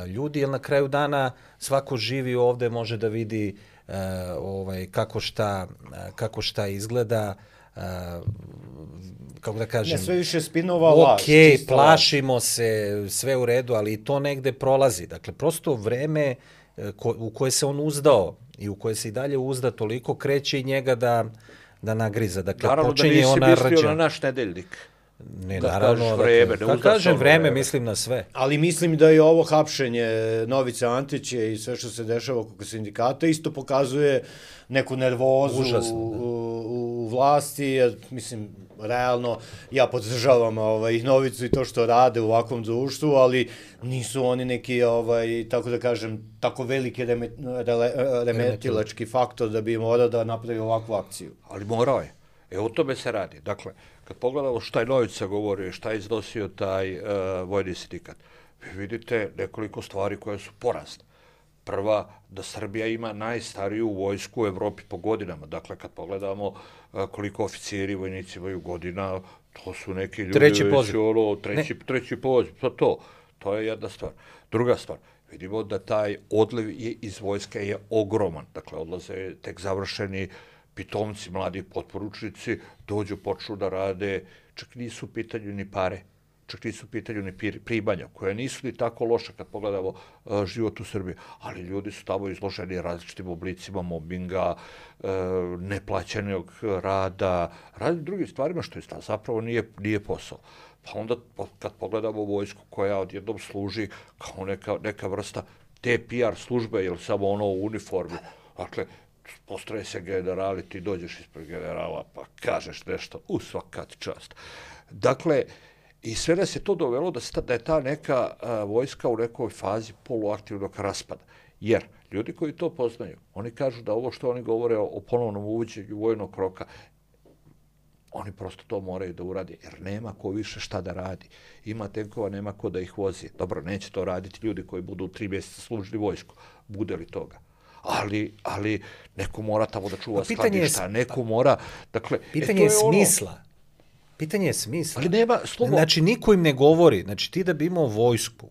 ljudi, jer na kraju dana svako živi ovde, može da vidi uh, ovaj, kako, šta, kako šta izgleda, uh, kako da kažem... Ne, sve više spinova laž. Ok, plašimo se, sve u redu, ali i to negde prolazi. Dakle, prosto vreme ko, u koje se on uzdao i u koje se i dalje uzda toliko, kreće i njega da, da nagriza. Dakle, naravno počinje da ona nisi mislio rđa. na naš nedeljnik. Ne, da naravno, vreme, dakle, ne kad kažem vreme, vreme, mislim na sve. Ali mislim da je ovo hapšenje Novice Antića i sve što se dešava oko sindikata isto pokazuje neku nervozu Užasno, u, u, u vlasti, jer, mislim, realno, ja podržavam ovaj, Novicu i to što rade u ovakvom društvu, ali nisu oni neki, ovaj, tako da kažem, tako veliki reme, rele, remetilački faktor da bi morao da napravi ovakvu akciju. Ali morao je. E, o tome se radi. Dakle, kad pogledamo šta je Novica govorio, šta je iznosio taj uh, vojni sindikat, vi vidite nekoliko stvari koje su porazne. Prva, da Srbija ima najstariju vojsku u Evropi po godinama. Dakle, kad pogledamo uh, koliko oficiri i vojnici imaju godina, to su neki ljudi... Treći poziv. Ono, treći, treći poziv, to to. To je jedna stvar. Druga stvar, vidimo da taj odliv je iz vojske je ogroman. Dakle, odlaze tek završeni pitomci, mladi potporučnici, dođu, počnu da rade, čak nisu u pitanju ni pare, čak nisu u pitanju ni primanja, koje nisu ni tako loše kad pogledamo uh, život u Srbiji, ali ljudi su tamo izloženi različitim oblicima mobbinga, uh, neplaćenog rada, različitim drugim stvarima, što je zapravo nije, nije posao. Pa onda kad pogledamo vojsku koja odjednom služi kao neka, neka vrsta te P R službe, jer samo ono u uniformi, dakle, postroje se generali, ti dođeš ispred generala pa kažeš nešto, u svakat čast. Dakle, i sve nas je to dovelo da, sta, da je ta neka a, vojska u nekoj fazi poluaktivnog raspada. Jer ljudi koji to poznaju, oni kažu da ovo što oni govore o, o ponovnom uvođenju vojnog roka, oni prosto to moraju da uradi, jer nema ko više šta da radi. Ima tenkova, nema ko da ih vozi. Dobro, neće to raditi ljudi koji budu tri mjeseca služili vojsku. Bude li toga? Ali, ali neko mora tamo da čuva skladišta, neko mora... Dakle, pitanje e, je, je smisla. Ono... Pitanje je smisla. Ali nema slovo... Znači, niko im ne govori. Znači, ti da bi imao vojsku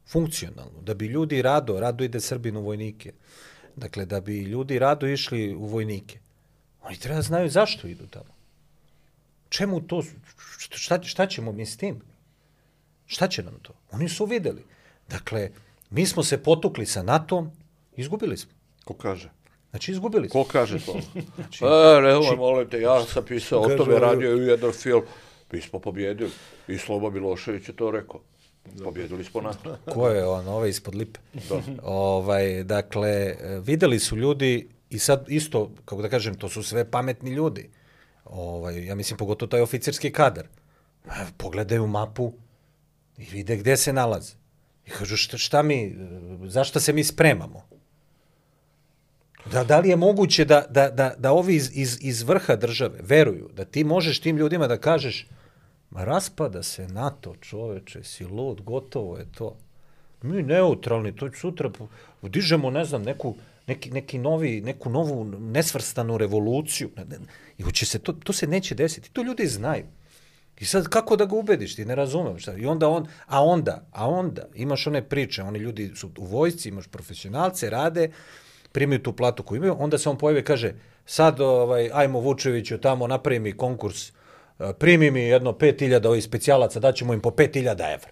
funkcionalnu, da bi ljudi rado, rado ide Srbin u vojnike, dakle, da bi ljudi rado išli u vojnike, oni treba da znaju zašto idu tamo. Čemu to? Šta, šta ćemo mi s tim? Šta će nam to? Oni su videli. Dakle, mi smo se potukli sa NATO-om, izgubili smo. Ko kaže? Znači, izgubili smo. Ko kaže to? Znači, e, nemoj, molim te, ja sam pisao o tome, radio i jedan film. Mi smo pobjedili. I Sloba Milošević je to rekao. Pobjedili smo NATO. Ko je on, ovaj ispod lipe? Da. Ovaj, dakle, videli su ljudi i sad isto, kako da kažem, to su sve pametni ljudi. Ovaj, ja mislim, pogotovo taj oficirski kadar. Pogledaju mapu i vide gde se nalaze. I kažu, šta, šta mi, zašto se mi spremamo? Da, da li je moguće da, da, da, da ovi iz, iz, iz vrha države veruju da ti možeš tim ljudima da kažeš ma raspada se NATO, čoveče, si lud, gotovo je to. Mi neutralni, to sutra dižemo, ne znam, neku, neki, neki novi, neku novu nesvrstanu revoluciju. I hoće se to, to se neće desiti. To ljudi znaju. I sad kako da ga ubediš, ti ne razumem šta. I onda on, a onda, a onda imaš one priče, oni ljudi su u vojsci, imaš profesionalce, rade, primaju tu platu koju imaju, onda se on pojavi i kaže, sad ovaj, ajmo Vučeviću tamo, napravi mi konkurs, primi mi jedno pet hiljada ovih specijalaca, daćemo im po pet hiljada evra.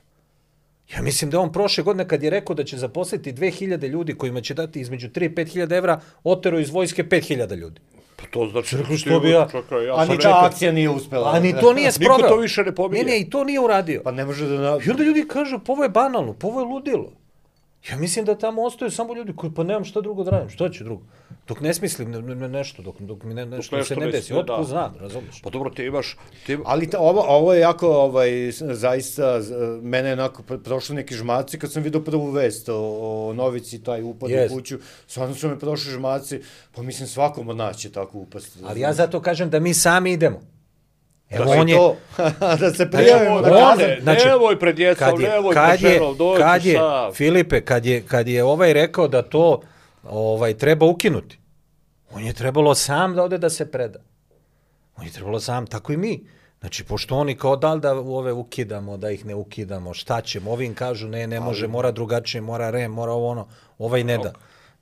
Ja mislim da on prošle godine kad je rekao da će zaposliti dve hiljade ljudi kojima će dati između tri i pet hiljada evra, otero iz vojske pet hiljada ljudi. Pa to znači... Rekao što bi ja... Čakaj, ja a ni ta akcija nije uspela. A ni to nije sproveo. Niko to više ne pominje. Ne, ne, i to nije uradio. Pa ne može da... I onda ljudi kažu, pa ovo je banalno, pa ovo je ludilo. Ja mislim da tamo ostaju samo ljudi koji, pa nemam šta drugo da radim, što će drugo? Dok ne smislim ne, ne, nešto, dok, dok mi ne, nešto, nešto se ne desi, otko znam, razumiješ? Pa dobro, ti imaš... Ti... Ali ta, ovo, ovo je jako, ovaj, zaista, mene je onako prošli neki žmaci kad sam vidio prvu vest o, o Novici, taj upad yes. u kuću, stvarno su me prošli žmaci, pa mislim svakom od nas će tako upasti. Ali ja zato kažem da mi sami idemo. Evo on je... Da se prijavimo na kazan. Znači, nemoj pred djecom, nemoj pred ženom, dođi sam. Filipe, kad je, kad je ovaj rekao da to ovaj, treba ukinuti, on je trebalo sam da ode da se preda. On je trebalo sam, tako i mi. Znači, pošto oni kao da li da ove ukidamo, da ih ne ukidamo, šta ćemo, ovim kažu ne, ne može, mora drugačije, mora rem, mora ovo ono, ovaj ne da.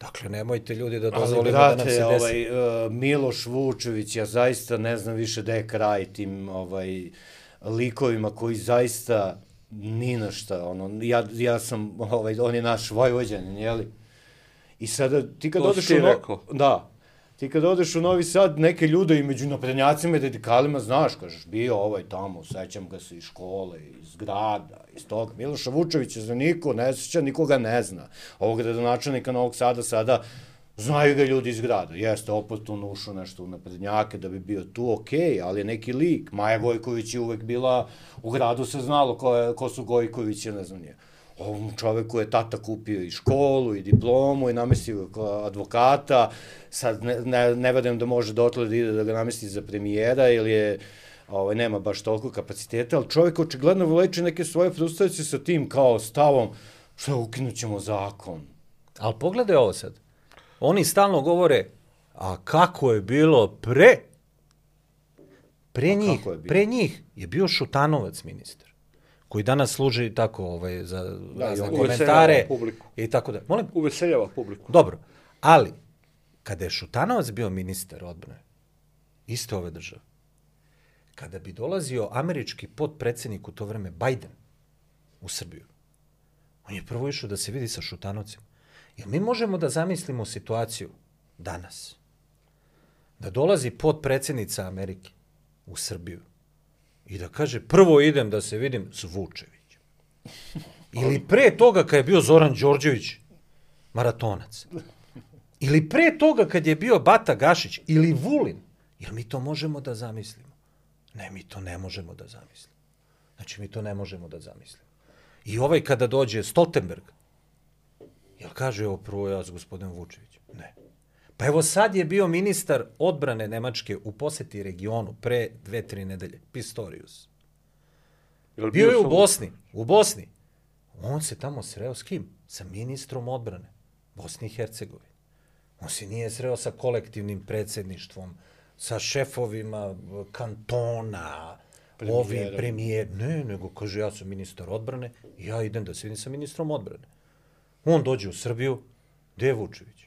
Dakle, nemojte ljudi da dozvolimo da nam se desi. Ovaj, uh, Miloš Vučević, ja zaista ne znam više da je kraj tim ovaj, likovima koji zaista ni na šta, ono, ja, ja sam, ovaj, on je naš Vojvođanin, jeli? I sada ti kad to odeš u... No... Da. Ti kad odeš u Novi Sad, neke ljude i među naprednjacima i radikalima, znaš, kažeš, bio ovaj tamo, sećam ga se iz škole, iz grada, iz toga. Miloša Vučevića za niko ne seća, nikoga ne zna. Ovog gradonačelnika Novog Sada sada znaju ga ljudi iz grada. Jeste, opet on ušao nešto u naprednjake da bi bio tu, okej, ali je neki lik. Maja Gojković je uvek bila, u gradu se znalo ko, je, ko su Gojkovići, ne znam nije. Ovom čoveku je tata kupio i školu i diplomu i namestio advokata, sad ne, ne, ne verujem da može dotle da ide da ga namesti za premijera ili je, ovaj, nema baš toliko kapaciteta, ali čovjek očigledno vleče neke svoje frustracije sa tim kao stavom, što ukinut ćemo zakon. Ali pogledaj ovo sad, oni stalno govore, a kako je bilo pre? Pre, njih, pre njih je bio Šutanovac ministar, koji danas služi tako ovaj, za da, razne komentare i tako da. Molim? Uveseljava publiku. Dobro, ali kada je Šutanovac bio ministar odbrane iste ove države, kada bi dolazio američki potpredsednik u to vreme Biden u Srbiju, on je prvo išao da se vidi sa Šutanovcem. Jer mi možemo da zamislimo situaciju danas, da dolazi potpredsednica Amerike u Srbiju i da kaže, prvo idem da se vidim s Vučevićem. Ili pre toga kad je bio Zoran Đorđević, maratonac. Ili pre toga kad je bio Bata Gašić ili Vulin. Jer mi to možemo da zamislimo? Ne, mi to ne možemo da zamislimo. Znači, mi to ne možemo da zamislimo. I ovaj kada dođe Stoltenberg, jel kaže, evo prvo ja s gospodinom Vučevićem? Ne. Pa evo sad je bio ministar odbrane Nemačke u poseti regionu pre dve, tri nedelje, Pistorius. Bio, bio je u Bosni, u Bosni. On se tamo sreo s kim? Sa ministrom odbrane Bosni i Hercegovine. On se nije sreo sa kolektivnim predsjedništvom, sa šefovima kantona, premijer. Ovim premijer. Ne, nego kaže, ja sam ministar odbrane i ja idem da se vidim sa ministrom odbrane. On dođe u Srbiju, gde je Vučević?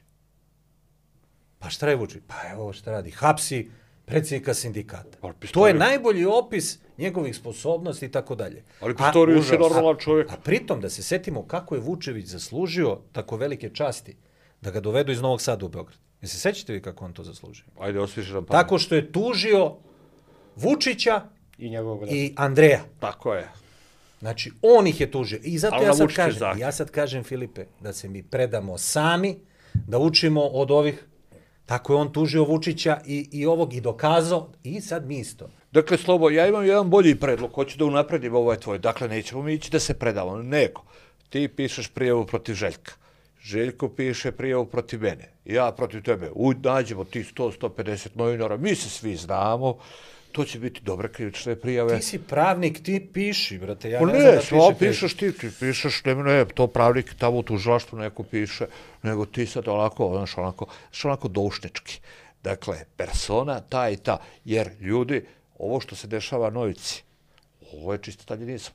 Pa šta je Vučević? Pa evo šta radi, hapsi predsjednika sindikata. To je najbolji opis njegovih sposobnosti i tako dalje. Ali Pistorius je normalan čovjek. A, a pritom da se setimo kako je Vučević zaslužio tako velike časti da ga dovedu iz Novog Sada u Beograd. Ne se sećate vi kako on to zaslužio? Ajde, osviši nam pamet. Tako što je tužio Vučića i, njegovog i Andreja. Tako je. Znači, on ih je tužio. I zato ali ja sad kažem, zake. ja sad kažem, Filipe, da se mi predamo sami, da učimo od ovih. Tako je on tužio Vučića i, i ovog i dokazao i sad mi isto. Dakle, Slobo, ja imam jedan bolji predlog, hoću da unapredim ovaj tvoj. Dakle, nećemo mi ići da se predamo. Neko, ti pišeš prijavu protiv Željka. Željko piše prijavu protiv mene. Ja protiv tebe. Uj, nađemo ti sto do sto pedeset novinara. Mi se svi znamo. To će biti dobre krivične prijave. Ti si pravnik, ti piši, brate. Ja o ne, ne znam da piše pišeš ti, ti pišeš, ne, ne, to pravnik tamo u tužilaštvu neko piše, nego ti sad onako, znaš, onako, znaš, onako doušnički. Dakle, persona ta i ta, jer ljudi, ovo što se dešava Novici, ovo je čisto staljinizam.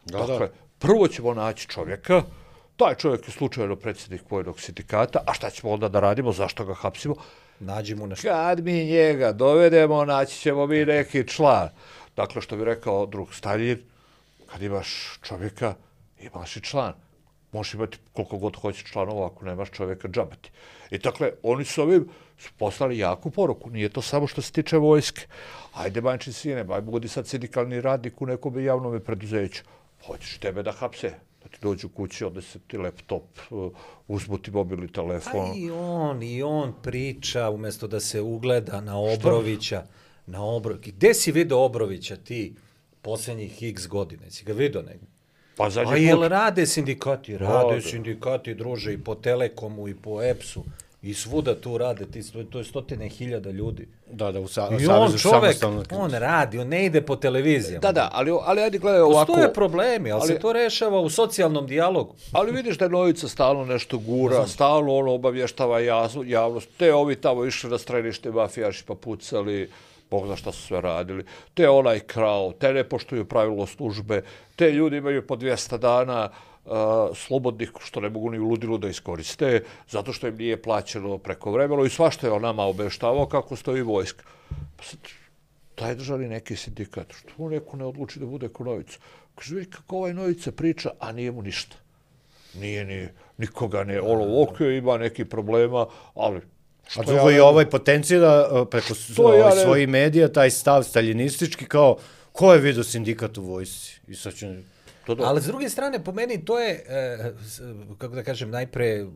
Da, dakle, da. Prvo ćemo naći čovjeka, taj čovjek je slučajno predsjednik vojnog sindikata, a šta ćemo onda da radimo, zašto ga hapsimo? Nađimo nešto. Kad mi njega dovedemo, naći ćemo mi neki član. Dakle, što bi rekao drug Staljin, kad imaš čovjeka, imaš i član. Možeš imati koliko god hoćeš članova, ako nemaš čovjeka, džabati. I dakle, oni su ovim poslali jaku poruku. Nije to samo što se tiče vojske. Ajde, manjči sine, aj budi sad sindikalni radnik u nekom javnom preduzeću. Hoćeš tebe da hapse. Da ti dođu kući, odnese ti laptop, uzmu ti mobilni telefon. A i on, i on priča, umjesto da se ugleda na Obrovića. Na Obro... Gde si vidio Obrovića ti posljednjih x godine? Si ga vidio negdje? Pa A jel rade sindikati? Rade sindikati, druže, i po Telekomu, i po E P S-u. I svuda tu rade, ti, to je stotine hiljada ljudi. Da, da, u sa, I on čovek, on radi, on ne ide po televizijama. Da, da, ali, ali ajde gledaj ovako... Postoje problemi, ali, ali se to rešava u socijalnom dijalogu. Ali vidiš da je Novica stalno nešto gura, stalno ono obavještava javnost, te ovi tamo išli na strelište mafijaši pa pucali, Bog zna šta su sve radili, te onaj krao, te ne poštuju pravilo službe, te ljudi imaju po dvjesto dana uh, slobodnih, što ne mogu ni u ludilu da iskoriste, zato što im nije plaćeno preko vremena i svašta je on nama obeštavao kako stoji vojska. Pa sad, taj državni neki sindikat, što mu neko ne odluči da bude ko Novica? Kaže, vidi kako ovaj Novica priča, a nije mu ništa. Nije ni, nikoga ne, ono, ok, ima neki problema, ali... A drugo ja i ovaj potencijera preko ja svojih medija, taj stav staljinistički, kao, ko je vidio sindikat u vojsci? I sad će... Ali s druge strane, po meni, to je, kako da kažem, najpre,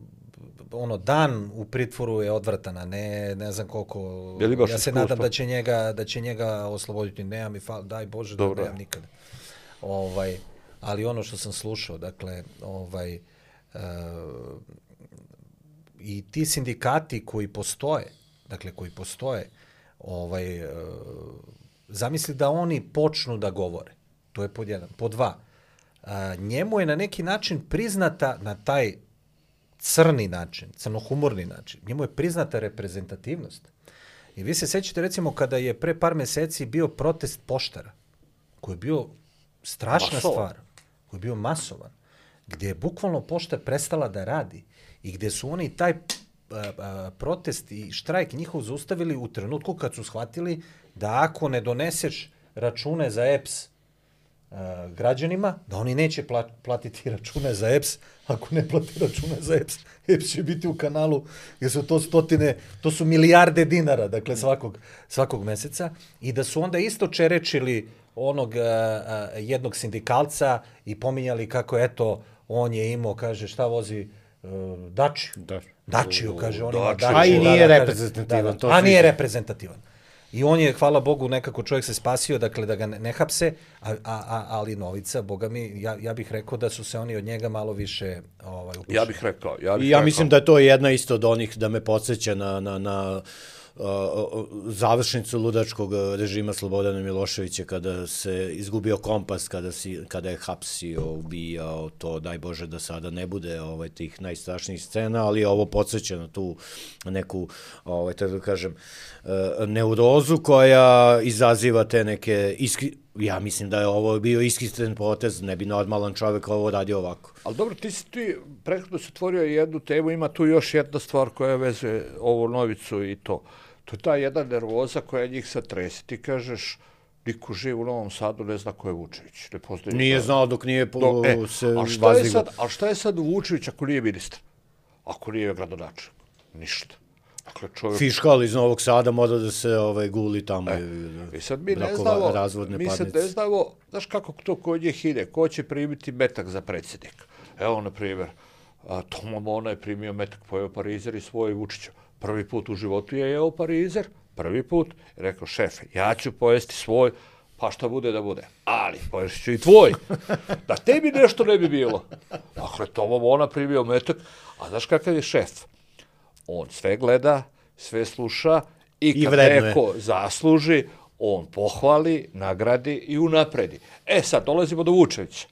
ono, dan u pritvoru je odvratan, a ne, ne znam koliko... Ja se nadam da će njega, da će njega osloboditi. Nemam i fal, daj Bože da nemam nikada. Ovaj, ali ono što sam slušao, dakle, ovaj... I ti sindikati koji postoje, dakle koji postoje, ovaj, e, zamisli da oni počnu da govore. To je pod jedan. Pod dva, a, njemu je na neki način priznata, na taj crni način, crnohumorni način, njemu je priznata reprezentativnost. I vi se sećate recimo kada je pre par meseci bio protest poštara, koji je bio strašna masovan stvar, koji je bio masovan, gdje je bukvalno pošta prestala da radi i gdje su oni taj a, a, protest i štrajk njihov zaustavili u trenutku kad su shvatili da ako ne doneseš račune za E P S a, građanima, da oni neće pla, platiti račune za E P S, ako ne plati račune za E P S, E P S će biti u kanalu, jer su to stotine, to su milijarde dinara, dakle svakog, svakog meseca, i da su onda isto čerečili onog a, a, jednog sindikalca i pominjali kako, eto, on je imao, kaže, šta vozi uh, Dačiju. Da. Dačiju, kaže, on ima Dačiju. A i nije reprezentativan. A nije reprezentativan. I on je, hvala Bogu, nekako čovjek se spasio, dakle, da ga ne, ne hapse, a, a, ali Novica, Boga mi, ja, ja bih rekao da su se oni od njega malo više ovaj, upušili. Ja bih rekao. Ja, bih I ja rekao. mislim da je to jedna isto od onih da me podsjeća na... na, na završnicu ludačkog režima Slobodana Miloševića kada se izgubio kompas, kada, si, kada je hapsio, ubijao, to daj Bože da sada ne bude ovaj, tih najstrašnijih scena, ali ovo podsjeća na tu neku, ovaj, tako da kažem, neurozu koja izaziva te neke iskri... Ja mislim da je ovo bio iskistren potez, ne bi normalan čovjek ovo radio ovako. Ali dobro, ti si ti prethodno se otvorio jednu temu, ima tu još jedna stvar koja vezuje ovu Novicu i to. To je ta jedna nervoza koja njih sad tresi. Ti kažeš, niko živ u Novom Sadu ne zna ko je Vučević. Ne postoji nije znao dok nije po, do, e, se a šta je sad, a šta je sad Vučević ako nije ministar? Ako nije gradonačelnik? Ništa. Dakle, čovjek... Fiškal iz Novog Sada mora da se ovaj, guli tamo. E, I sad mi ne znamo, mi sad ne znamo, znaš kako to kod njih ide, ko će primiti metak za predsjednika. Evo, na primjer, Toma Mona je primio metak, pojeo parizer i svoj Vučića. Prvi put u životu je jeo parizer, prvi put, i rekao, šefe, ja ću pojesti svoj, pa šta bude da bude. Ali, poješći ću i tvoj. Da tebi nešto ne bi bilo. Dakle, Toma Mona primio metak, a znaš kakav je šef? On sve gleda, sve sluša i kad I neko zasluži, on pohvali, nagradi i unapredi. E sad, dolazimo do Vučevića.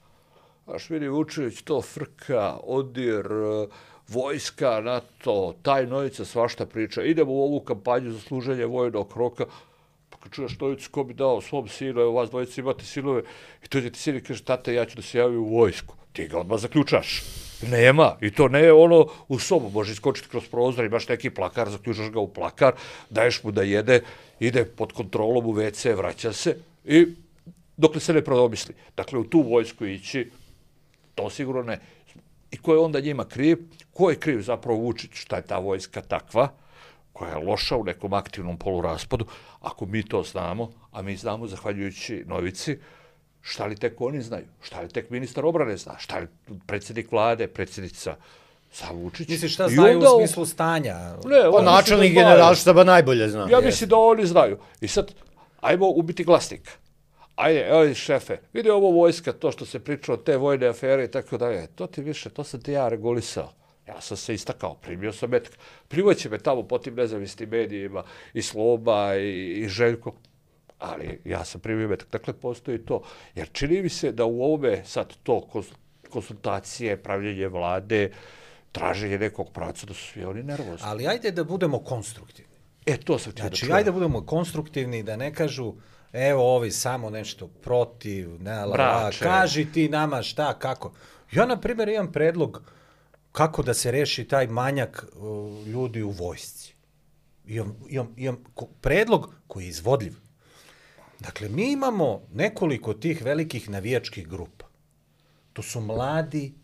Znaš, vidi, Vučević to frka, odir, vojska, NATO, taj Novica svašta priča. Idemo u ovu kampanju za služenje vojnog roka. Pa kad čuješ Novicu, ko bi dao svom sinu, evo vas dvojice imate sinove, i to je ti sin i kaže, tata, ja ću da se javim u vojsku. Ti ga odmah zaključaš. Nema. I to ne ono u sobu. Može iskočiti kroz prozor, imaš neki plakar, zaključaš ga u plakar, daješ mu da jede, ide pod kontrolom u ve ce, vraća se i dokle se ne prodomisli. Dakle, u tu vojsku ići, to sigurno ne. I ko je onda njima kriv? Ko je kriv zapravo Vučić? Šta je ta vojska takva, koja je loša u nekom aktivnom poluraspadu? Ako mi to znamo, a mi znamo zahvaljujući Novici, šta li tek oni znaju? Šta li tek ministar obrane zna? Šta li predsjednik vlade, predsjednica sa Vučić? Misliš šta znaju onda... u smislu stanja? Ne, pa načelnik generalštaba najbolje zna. Ja mislim da oni znaju. I sad, ajmo ubiti glasnika. Ajde, evo šefe, vidi ovo vojska, to što se pričalo, te vojne afere i tako dalje. To ti više, to sam ti ja regulisao. Ja sam se istakao, primio sam metak. Privoće me tamo po tim nezavisnim medijima i Sloba i, i Željko, ali ja sam primio metak. Dakle, postoji to. Jer čini mi se da u ovome sad to konsultacije, pravljenje vlade, traženje nekog pravca, da su svi oni nervozni. Ali ajde da budemo konstruktivni. E, to sam ti da Znači, čujem. ajde da budemo konstruktivni, da ne kažu, evo ovi samo nešto protiv, ne, la, kaži ti nama šta, kako. Ja, na primjer, imam predlog kako da se reši taj manjak uh, ljudi u vojsci. Imam, imam, imam predlog koji je izvodljiv. Dakle, mi imamo nekoliko tih velikih navijačkih grupa. To su mladi,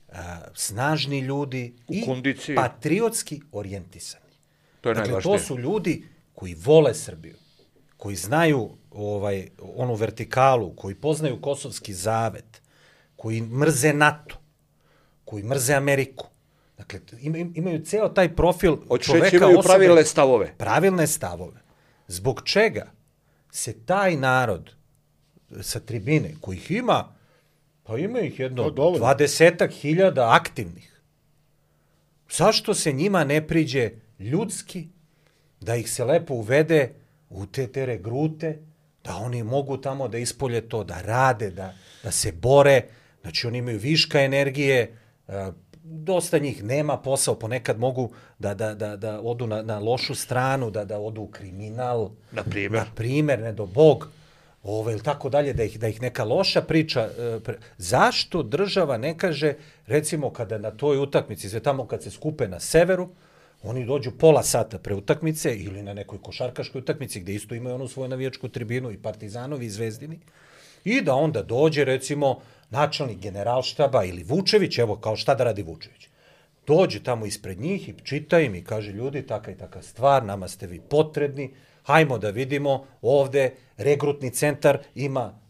uh, snažni ljudi u i kondiciji. Patriotski orijentisani. To je dakle, najvažnije. To su ljudi koji vole Srbiju, koji znaju ovaj, onu vertikalu, koji poznaju Kosovski zavet, koji mrze NATO, koji mrze Ameriku. Dakle, imaju ceo taj profil čoveka, imaju osobe, pravilne stavove. Pravilne stavove. Zbog čega se taj narod sa tribine, kojih ima, pa ima ih jedno dvadesetak hiljada aktivnih, zašto se njima ne priđe ljudski, da ih se lepo uvede u te te regrute, da oni mogu tamo da ispolje to, da rade, da, da se bore, znači oni imaju viška energije, dosta njih nema posao, ponekad mogu da, da, da, da odu na, na lošu stranu, da, da odu u kriminal, na primjer, na primjer, ne do Bog, ove, ili tako dalje, da ih, da ih neka loša priča. Pre... Zašto država ne kaže, recimo kada na toj utakmici, sve tamo kad se skupe na severu, oni dođu pola sata pre utakmice ili na nekoj košarkaškoj utakmici gde isto imaju onu svoju navijačku tribinu i Partizanovi i Zvezdini i da onda dođe recimo načelnik generalštaba ili Vučević, evo kao šta da radi Vučević. Dođe tamo ispred njih i čita im i kaže ljudi taka i taka stvar, nama ste vi potrebni, hajmo da vidimo ovde regrutni centar ima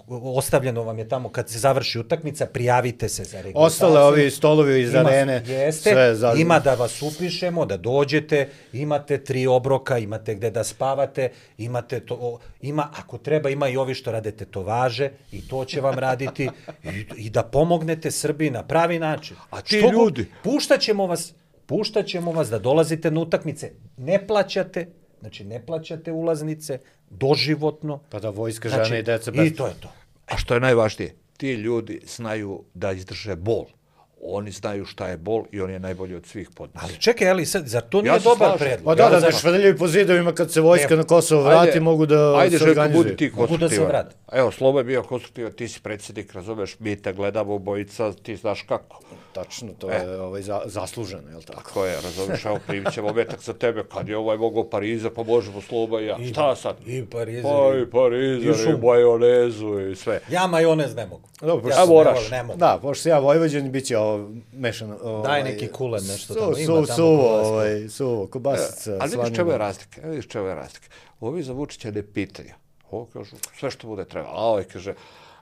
ostavljeno vam je tamo kad se završi utakmica, prijavite se za regrutaciju. Ostale ovi stolovi iz ima, arene. Jeste, sve za... ima da vas upišemo, da dođete, imate tri obroka, imate gde da spavate, imate to, ima, ako treba, ima i ovi što rade tetovaže i to će vam raditi i, i da pomognete Srbiji na pravi način. A ti što ljudi? Puštaćemo vas, puštaćemo vas da dolazite na utakmice, ne plaćate, znači ne plaćate ulaznice, doživotno. Pa da vojska, žene znači, i deca bez... I to je to. A što je najvažnije, ti ljudi znaju da izdrže bol. Oni znaju šta je bol i on je najbolji od svih podnosa. Ali čekaj, ali sad, zar to nije ja dobar predlog? Pa da, da, da švrljaju po zidovima kad se vojska na Kosovo vrati, ajde, mogu da ajde, se organizuju. Ajde, Željko, budi ti konstruktivan. Evo, Slobo je bio konstruktivan, ti si predsjednik, razumeš, mi te gledamo, bojica, ti znaš kako. Tačno, to e. je ovaj, za, zasluženo, je li tako? Tako je, razumiješ, evo primit ćemo metak za tebe, kad je ovaj mogao Pariza, pa možemo Sloba i ja. I, šta sad? I Parizer, pa, i Parizer, i, i majonezu, i sve. Ja majonez ne mogu. Dobro, ja a moraš. Ne mogu. Da, pošto ja Vojvođan, bit će ovo mešano. Ovaj, daj neki kulen, nešto tamo su, ima tamo. Suvo, ovaj, suvo, kobasica. E, ali vidiš čemu je razlika, vidiš čemu je razlika. Ovi za Vučića ne pitaju. Ovo kažu, sve što bude treba. A ovaj kaže,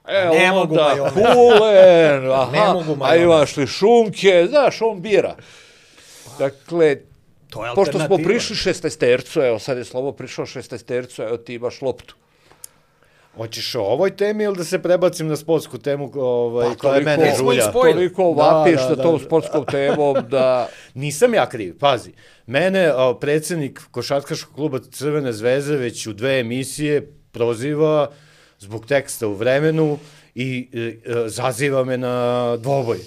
e, ne onda kulen, aha, a imaš li šunke, znaš, on bira. Dakle, to je pošto smo prišli šestaestercu, evo sad je Slobo prišao šestaestercu, evo ti imaš loptu. Hoćeš o ovoj temi ili da se prebacim na sportsku temu ovaj, pa, koja je mene žulja? Toliko vapiš da, da, da, tom sportskom temom da... Nisam ja kriv, pazi. Mene o, predsjednik košarkaškog kluba Crvene zvezde već u dve emisije proziva zbog teksta u Vremenu i e, e, zaziva me na dvoboj.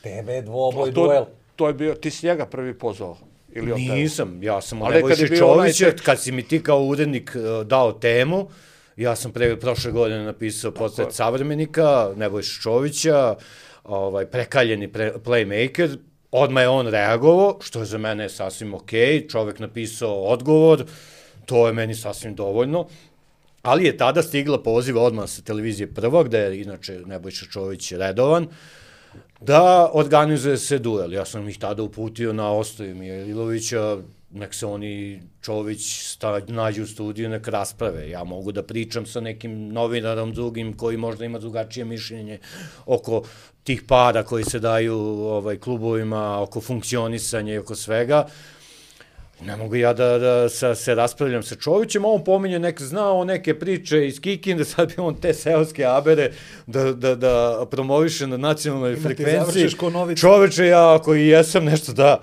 Tebe dvoboj, to, duel. To je bio, ti si njega prvi pozvao. Ili Nisam, ja sam od Nebojše Čovića, onaj... kad si mi ti kao urednik uh, dao temu, ja sam pre, prošle godine napisao portret savremenika, Nebojše Čovića, ovaj, prekaljeni pre, playmaker, odmah je on reagovao, što je za mene sasvim okej, čovek napisao odgovor, to je meni sasvim dovoljno, ali je tada stigla poziva odmah sa televizije Prva, gde je inače Nebojša Čović redovan, da organizuje se duel. Ja sam ih tada uputio na Ostoju Mijailovića, nek se oni Čović sta, nađu u studiju, nek rasprave. Ja mogu da pričam sa nekim novinarom drugim koji možda ima drugačije mišljenje oko tih para koji se daju ovaj, klubovima, oko funkcionisanja i oko svega. Ne mogu ja da, da sa, se raspravljam sa Čovićem, a on pominje, nek znao neke priče iz Kikinde, sad bi on te seoske abere da, da, da promoviše na nacionalnoj frekvenciji. Čoveče, ja ako i jesam nešto da...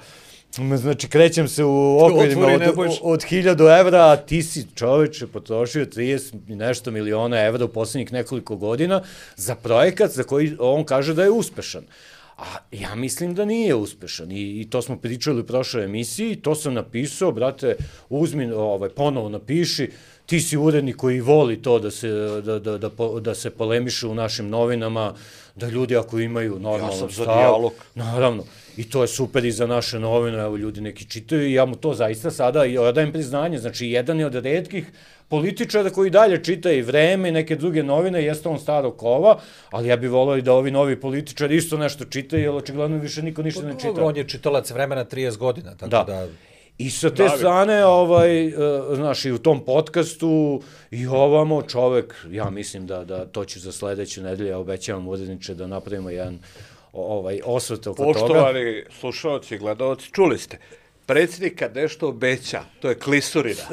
Znači, krećem se u okvirima od, od hiljadu evra, a ti si, čoveče, potrošio trideset nešto miliona evra u poslednjih nekoliko godina za projekat za koji on kaže da je uspešan. A ja mislim da nije uspešan i, i to smo pričali u prošloj emisiji, to sam napisao, brate, uzmi, ovaj, ponovo napiši, ti si urednik koji voli to da se, da, da, da, da se polemiše u našim novinama, da ljudi ako imaju normalno stav... Ja sam za dijalog. Naravno. I to je super i za naše novine, evo ljudi neki čitaju i ja mu to zaista sada i odajem priznanje. Znači, jedan je od retkih političara koji dalje čita i Vreme i neke druge novine, jeste on starog kova, ali ja bih volao i da ovi novi političari isto nešto čitaju, jer očigledno više niko ništa ne čita. On je čitalac Vremena trideset godina, tako da... da... I sa te strane, ovaj, znaš, i u tom podcastu i ovamo čovek, ja mislim da, da to ću za sledeću nedelju, ja obećavam uredniče da napravimo jedan ovaj, osvrt oko toga. Poštovani slušalci i gledalci, čuli ste, predsjednik kad nešto obeća, to je klisurina.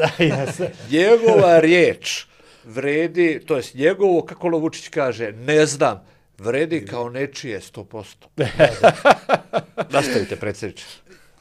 Njegova riječ vredi, to jest njegovo, kako Vučić kaže, ne znam, vredi kao nečije sto posto. Nastavite, predsjedniče.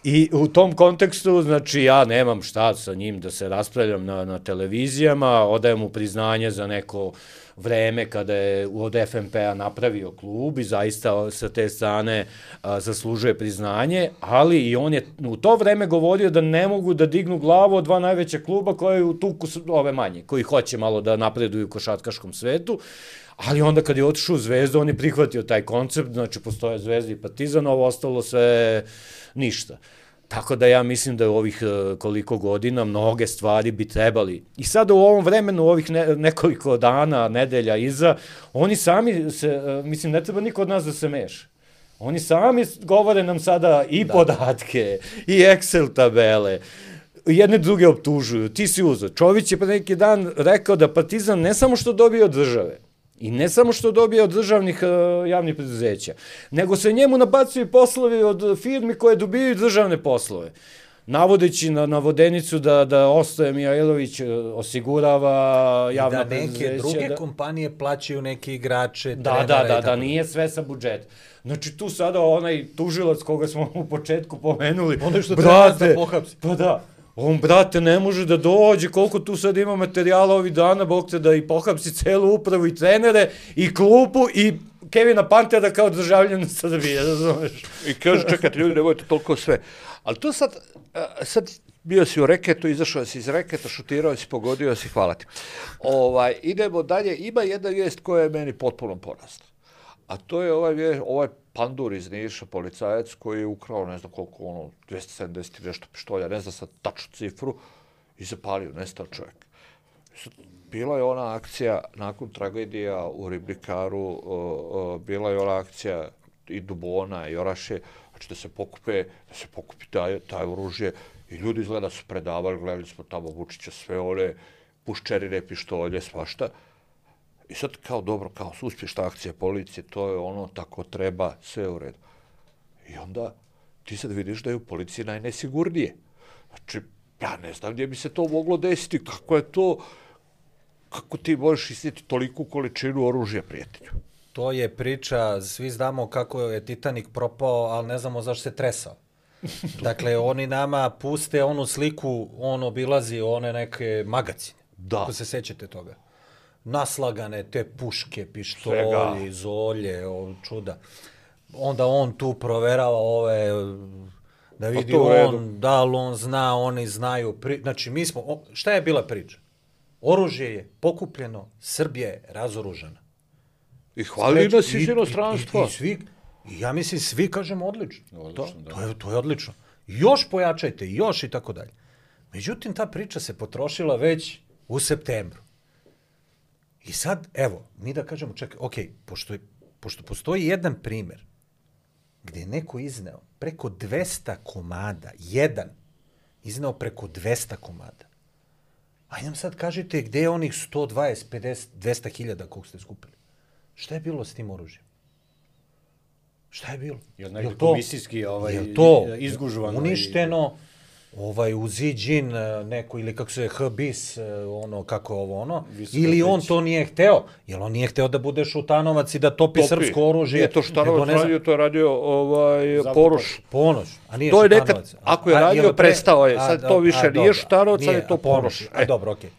I u tom kontekstu, znači, ja nemam šta sa njim da se raspravljam na, na televizijama, odajem mu priznanje za neko vreme kada je od F M P-a napravio klub i zaista sa te strane a, zaslužuje priznanje, ali i on je u to vreme govorio da ne mogu da dignu glavu od dva najveća kluba koje u tuku ove manje, koji hoće malo da napreduju u košarkaškom svetu. Ali onda kad je otišao u Zvezdu, on je prihvatio taj koncept, znači postoje Zvezda i Partizan, ovo ostalo sve ništa. Tako da ja mislim da u ovih koliko godina mnoge stvari bi trebali. I sada u ovom vremenu, u ovih ne, nekoliko dana, nedelja iza, oni sami se, mislim, ne treba niko od nas da se meša. Oni sami govore nam sada i da. Podatke, i Excel tabele, jedne druge optužuju, ti si uzeo. Čović je pre neki dan rekao da Partizan ne samo što dobije od države, i ne samo što dobije od državnih uh, javnih preduzeća, nego se njemu nabacuju poslovi od firmi koje dobijaju državne poslove. Navodeći na navodenicu da, da Ostoje Mihajlović osigurava javna preduzeća. I da neke druge da... kompanije plaćaju neke igrače, da, trenere. Da, da, da, da, nije sve sa budžeta. Znači tu sada onaj tužilac koga smo u početku pomenuli, ono što treba da pohapsi. Pa da. On, brate, ne može da dođe, koliko tu sad ima materijala ovih dana, bog te da i pohapsi celu upravu i trenere, i klupu, i Kevina Pantera kao državljan Srbije, razumeš? I kaže, čekajte, ljudi, nemojte toliko sve. Ali to sad, sad bio si u reketu, izašao si iz reketa, šutirao si, pogodio si, hvala ti. Ovaj, idemo dalje, ima jedna vijest koja je meni potpuno porasla. A to je ovaj, vijest, ovaj pandur iz Niša, policajac, koji je ukrao, ne znam koliko, ono, dvesta sedamdeset nešto pištolja, ne znam sad tačnu cifru, i zapalio, nestao čovjek. Bila je ona akcija, nakon tragedija u Ribnikaru, uh, uh, bila je ona akcija i Dubona i Oraše, znači da se pokupe, da se pokupi taj, taj oružje, i ljudi izgleda su predavali, gledali smo tamo Vučića, sve one puščerine, pištolje, svašta. I sad kao dobro, kao uspješna akcija policije, to je ono, tako treba, sve u redu. I onda ti sad vidiš da je u policiji najnesigurnije. Znači, ja ne znam gdje bi se to moglo desiti, kako je to, kako ti možeš iznijeti toliku količinu oružja, prijatelju. To je priča, svi znamo kako je Titanik propao, ali ne znamo zašto se tresao. Dakle, oni nama puste onu sliku, on obilazi one neke magacine. Da. Ako se sećate toga. Naslagane te puške, pištolje, zolje, o, čuda. Onda on tu proverava ove, da vidi on, da li on zna, oni znaju. Pri... Znači, mi smo, o, šta je bila priča? Oružje je pokupljeno, Srbija je razoružana. I hvali nas iz inostranstva. I, i, i svi, i ja mislim, svi kažemo odlično. odlično to, da. to, je, to je odlično. Još pojačajte, još i tako dalje. Međutim, ta priča se potrošila već u septembru. I sad, evo, mi da kažemo, čekaj, ok, pošto, je, pošto postoji jedan primjer gdje je neko izneo preko dvesta komada, jedan izneo preko dvesta komada. Ajde nam sad kažite gdje je onih sto dvadeset, pedeset, dvesta hiljada kog ste skupili. Šta je bilo s tim oružjem? Šta je bilo? Je li negdje komisijski ovaj, to izgužvano? Uništeno? ovaj, u Ziđin neko, ili kako se je H-bis, ono, kako ovo, ono, ili on to nije hteo, jer on nije hteo da bude Šutanovac i da topi, topi. srpsko oružje. Nije to Šutanovac radio, to je radio ovaj, Ponoš. Ponoš, a nije to je Šutanovac. Nekad, ako je radio, a, prestao je, sad a, to više a, nije Šutanovac, sad je to Ponoš. A, a dobro, okej. Okay.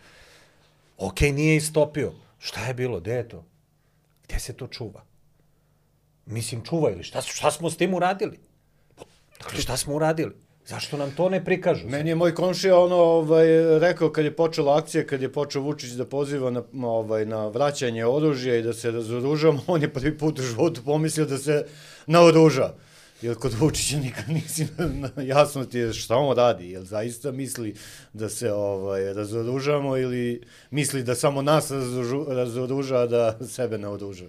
Okej, okay, nije istopio. Šta je bilo, gde je to? Gde se to čuva? Mislim, čuva ili šta, šta smo s tim uradili? Dakle, šta smo uradili? Zašto nam to ne prikažu? Meni je moj komšija ono, ovaj, rekao kad je počela akcija, kad je počeo Vučić da poziva na, ovaj, na vraćanje oružja i da se razoružamo, on je prvi put u životu pomislio da se naoruža. Jer kod Vučića nikad nisi jasno ti je šta on radi. Jel zaista misli da se ovaj, razoružamo ili misli da samo nas razoruža, a da sebe naoruža?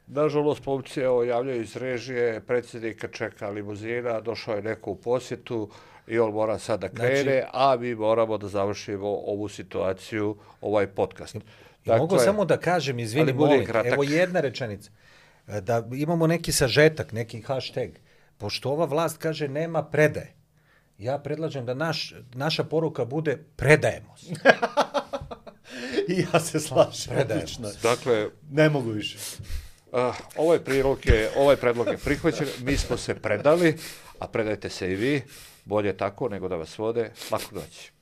Nažalost, pomci javljaju iz režije, predsjednika čeka limuzina, došao je neko u posjetu i on mora sad da krene, znači, a mi moramo da završimo ovu situaciju, ovaj podcast. Dakle, mogu samo da kažem, izvini, molim, evo jedna rečenica, da imamo neki sažetak, neki hashtag, pošto ova vlast kaže nema predaje, ja predlažem da naš, naša poruka bude predajemo se. I ja se slažem. Predajemo se. Dakle, ne mogu više. Uh, ovaj prilog je, ovaj predlog je prihvaćen, mi smo se predali, a predajte se i vi, bolje tako nego da vas vode, lako doći.